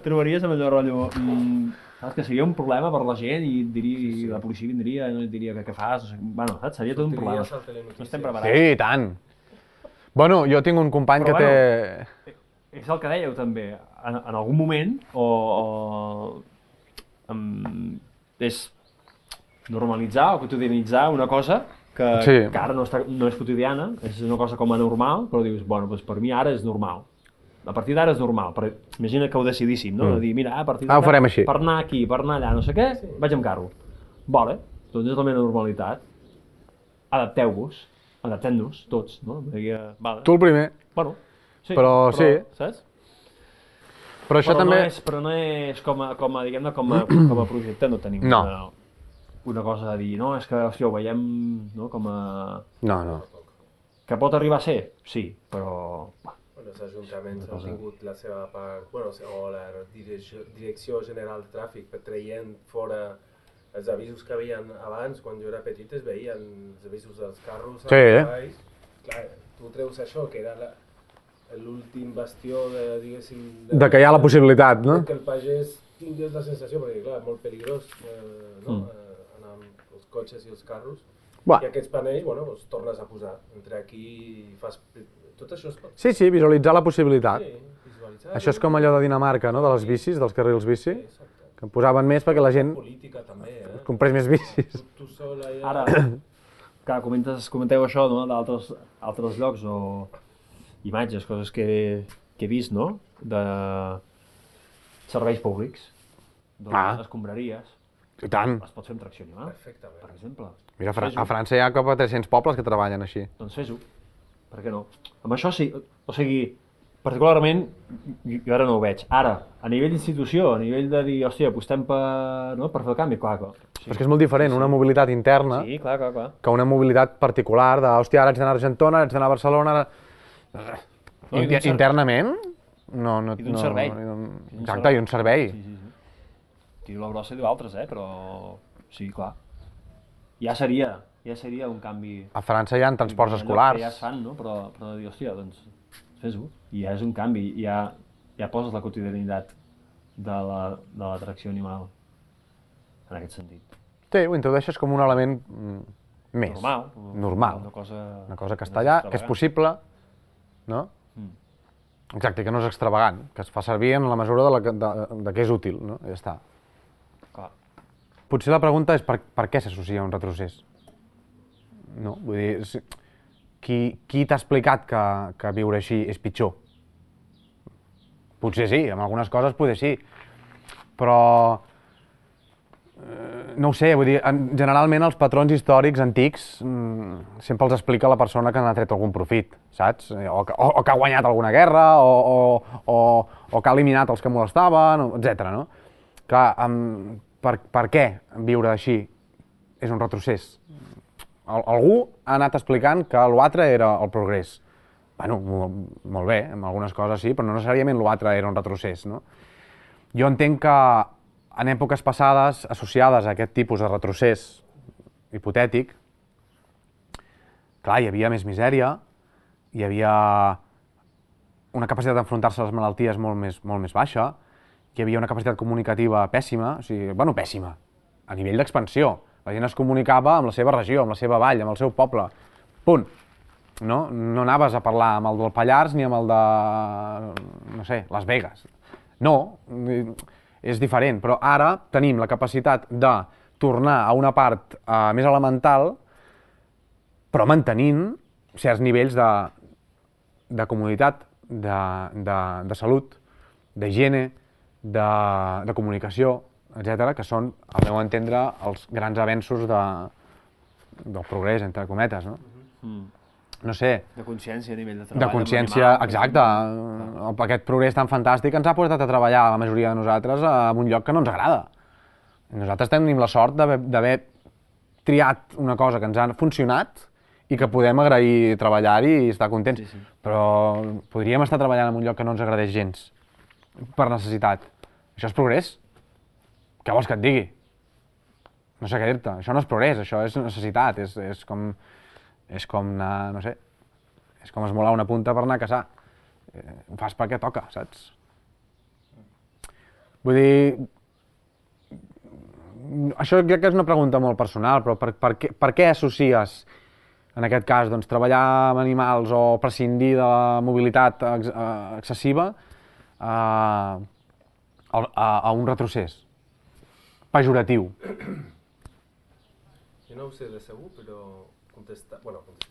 Trobaries amb allò rotllo... Saps que seria un problema per la gent i la policia vindria i no et diria què fas, no sé, bueno, saps? Seria tot un problema. No estem preparats. Sí, i tant. Bueno, jo tinc un company que té... És el que dèieu també, en algun moment, és normalitzar o quotidianitzar una cosa que ara no és quotidiana, és una cosa com a normal, però dius, bueno, doncs per mi ara és normal. A partir d'ara és normal, imagina que ho decidíssim, no? De dir, mira, a partir d'ara, ho farem així. Per anar aquí, per anar allà, no sé què, vaig amb carro. Vale, doncs és la meva normalitat. Adaptem-nos, tots, no? Vale. Tu el primer. Bueno, sí, però sí. Saps? Però això també... Però no és com a projecte, no tenim una cosa de dir, no, és que, hòstia, ho veiem, no, com a... No. Que pot arribar a ser, sí, però... Els ajuntaments han tingut la seva part, o la Direcció General de Tràfic, traient fora els avisos que havien abans, quan jo era petit es veien els avisos dels carros als cavalls. Clar, tu treus això, que era l'últim bastió de, diguéssim... De que hi ha la possibilitat, no? Que el pagès tingués la sensació, perquè clar, molt peligrós, no? Anar amb els cotxes i els carros. I aquests panells, bueno, els tornes a posar. Entre aquí fas... Tot això es pot... Sí, visualitzar la possibilitat. Sí, visualitzar... Això és com allò de Dinamarca, no? De les bicis, dels carrils bici. Que en posaven més perquè la gent... Política també, comprés més bicis. Tu sol allà... Ara, clar, comenteu això, no? D'altres llocs o imatges, coses que he vist, no? De serveis públics. Doncs escombraries. I tant. Es pot fer amb tracció animal, Perfectament. per exemple. Mira, a França hi ha cap a 300 pobles que treballen així. Doncs fes-ho. Per què no? Amb això sí, o sigui, particularment, jo ara no ho veig. Ara, a nivell d'institució, a nivell de dir, hòstia, apostem per fer el canvi, clar. Sí. Però és que és molt diferent, una mobilitat interna, que una mobilitat particular de, hòstia, ara haig d'anar a Argentona, ara haig d'anar a Barcelona... Internament? No, I d'un servei. Exacte, i un servei. Sí. Tiro la brossa i diu altres, però sí, clar. Ja seria un canvi... A França hi ha transports escolars. Ja es fan, no? Però de dir, hòstia, doncs fes-ho. I ja és un canvi, ja poses la quotidianitat de l'atracció animal en aquest sentit. Sí, ho introdueixes com un element més. Normal. Una cosa que està allà, que és possible, no? Exacte, que no és extravagant, que es fa servir en la mesura de que és útil, no? I ja està. Clar. Potser la pregunta és per què s'associa a un retrocés? No? Vull dir, qui t'ha explicat que viure així és pitjor? Potser sí, en algunes coses potser sí, però no ho sé, vull dir, generalment els patrons històrics antics sempre els explica la persona que n'ha tret algun profit, saps? O que ha guanyat alguna guerra, o que ha eliminat els que molestaven, etc. No? Clar, per què viure així és un retrocés? Algú ha anat explicant que l'altre era el progrés. Bueno, molt bé, en algunes coses sí, però no necessàriament l'altre era un retrocés, no? Jo entenc que en èpoques passades, associades a aquest tipus de retrocés hipotètic, clar, hi havia més misèria, hi havia una capacitat d'enfrontar-se a les malalties molt més baixa, hi havia una capacitat comunicativa pèssima, o sigui, bueno, pèssima, a nivell d'expansió. La gent es comunicava amb la seva regió, amb la seva vall, amb el seu poble. Punt. No anaves a parlar amb el del Pallars ni amb el de, no sé, Las Vegas. No, és diferent, però ara tenim la capacitat de tornar a una part més elemental, però mantenint certs nivells de comoditat, de salut, d'higiene, de comunicació, etc., que són, al meu entendre, els grans avenços del progrés, entre cometes, no? No sé. De consciència a nivell de treball. De consciència, exacte. Aquest progrés tan fantàstic ens ha portat a treballar, la majoria de nosaltres, en un lloc que no ens agrada. Nosaltres tenim la sort d'haver triat una cosa que ens ha funcionat i que podem agrair treballar-hi i estar contents. Sí. Però podríem estar treballant en un lloc que no ens agradés gens, per necessitat. Això és progrés? Què vols que et digui? No sé què dir-te. Això no és progrés, això és necessitat. És com anar, no sé, és com esmolar una punta per anar a caçar. Ho fas perquè toca, saps? Vull dir, això crec que és una pregunta molt personal, però per què associes, en aquest cas, doncs, treballar amb animals o prescindir de la mobilitat excessiva a un retrocés pejoratiu? Jo no ho sé de segur, però contestar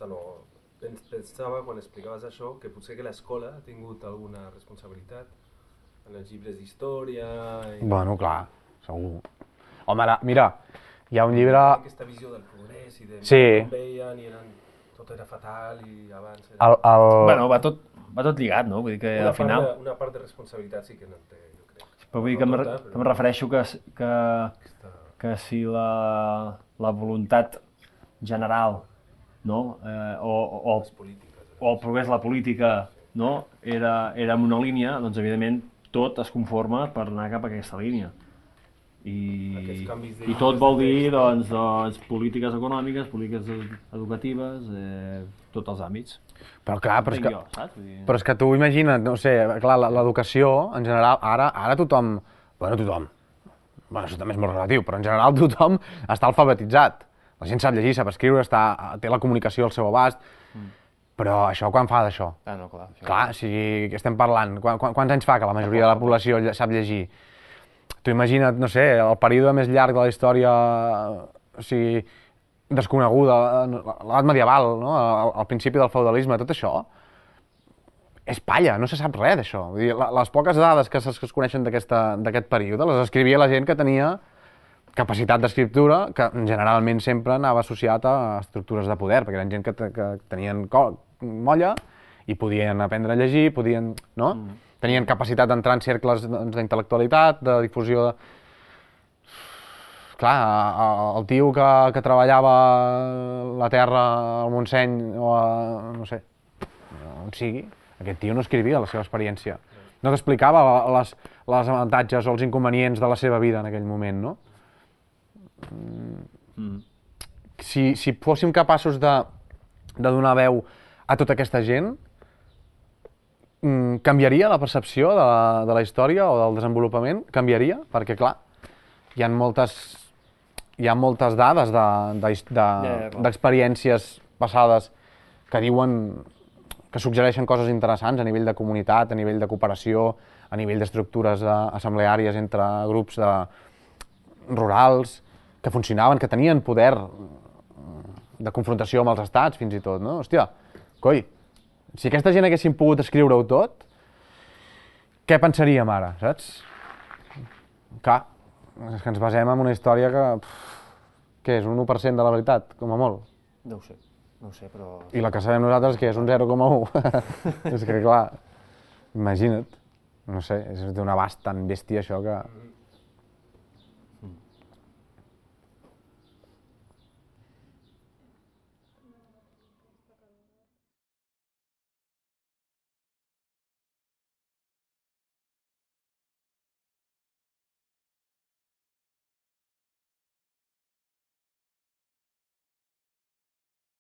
no. Pensava, quan explicaves això, que potser que l'escola ha tingut alguna responsabilitat en els llibres d'història... Bueno, clar, segur. Home, ara, mira, hi ha un llibre... Aquesta visió del progrés i de com veien i tot era fatal i abans... Bueno, va tot lligat, no? Vull dir que al final... Una part de responsabilitat sí que no té, jo crec. Però vull dir que em refereixo que si la voluntat general, no? O el progrés, la política, no? Era en una línia, doncs evidentment tot es conforma per anar cap a aquesta línia. I tot vol dir doncs, polítiques econòmiques, polítiques educatives, tots els àmbits. Però clar, però és que tu imagina't, no sé, clar, l'educació en general, ara tothom, bueno, això també és molt relatiu, però en general tothom està alfabetitzat. La gent sap llegir, sap escriure, té la comunicació al seu abast, però això quan fa d'això? Ah, no, clar. Clar, o sigui, estem parlant, quants anys fa que la majoria de la població sap llegir? Tu imagina't, no sé, el període més llarg de la història, o sigui, desconeguda, l'edat medieval, no? Al principi del feudalisme, tot això és palla, no se sap res d'això. Vull dir, les poques dades que es coneixen d'aquest període les escrivia la gent que tenia capacitat d'escriptura, que generalment sempre anava associat a estructures de poder, perquè eren gent que tenien molla i podien aprendre a llegir, no? Tenien capacitat d'entrar en cercles d'intel·lectualitat, de difusió de... Clar, el tio que treballava la terra al Montseny o no sé, on sigui, aquest tio no escrivia la seva experiència. No t'explicava les avantatges o els inconvenients de la seva vida en aquell moment, no? Si fóssim capaços de donar veu a tota aquesta gent, canviaria la percepció de la història o del desenvolupament? Canviaria? Perquè, clar, hi ha moltes dades d'experiències passades que diuen que suggereixen coses interessants a nivell de comunitat, a nivell de cooperació, a nivell d'estructures assembleàries entre grups rurals, que funcionaven, que tenien poder de confrontació amb els estats, fins i tot, no? Hòstia, coi, si aquesta gent haguessin pogut escriure-ho tot, què pensaríem ara, saps? Clar, és que ens basem en una història que és un 1% de la veritat, com a molt. No ho sé, però... I la que sabem nosaltres que és un 0,1. És que, clar, imagina't, no sé, és d'un abast tan bèstia això que...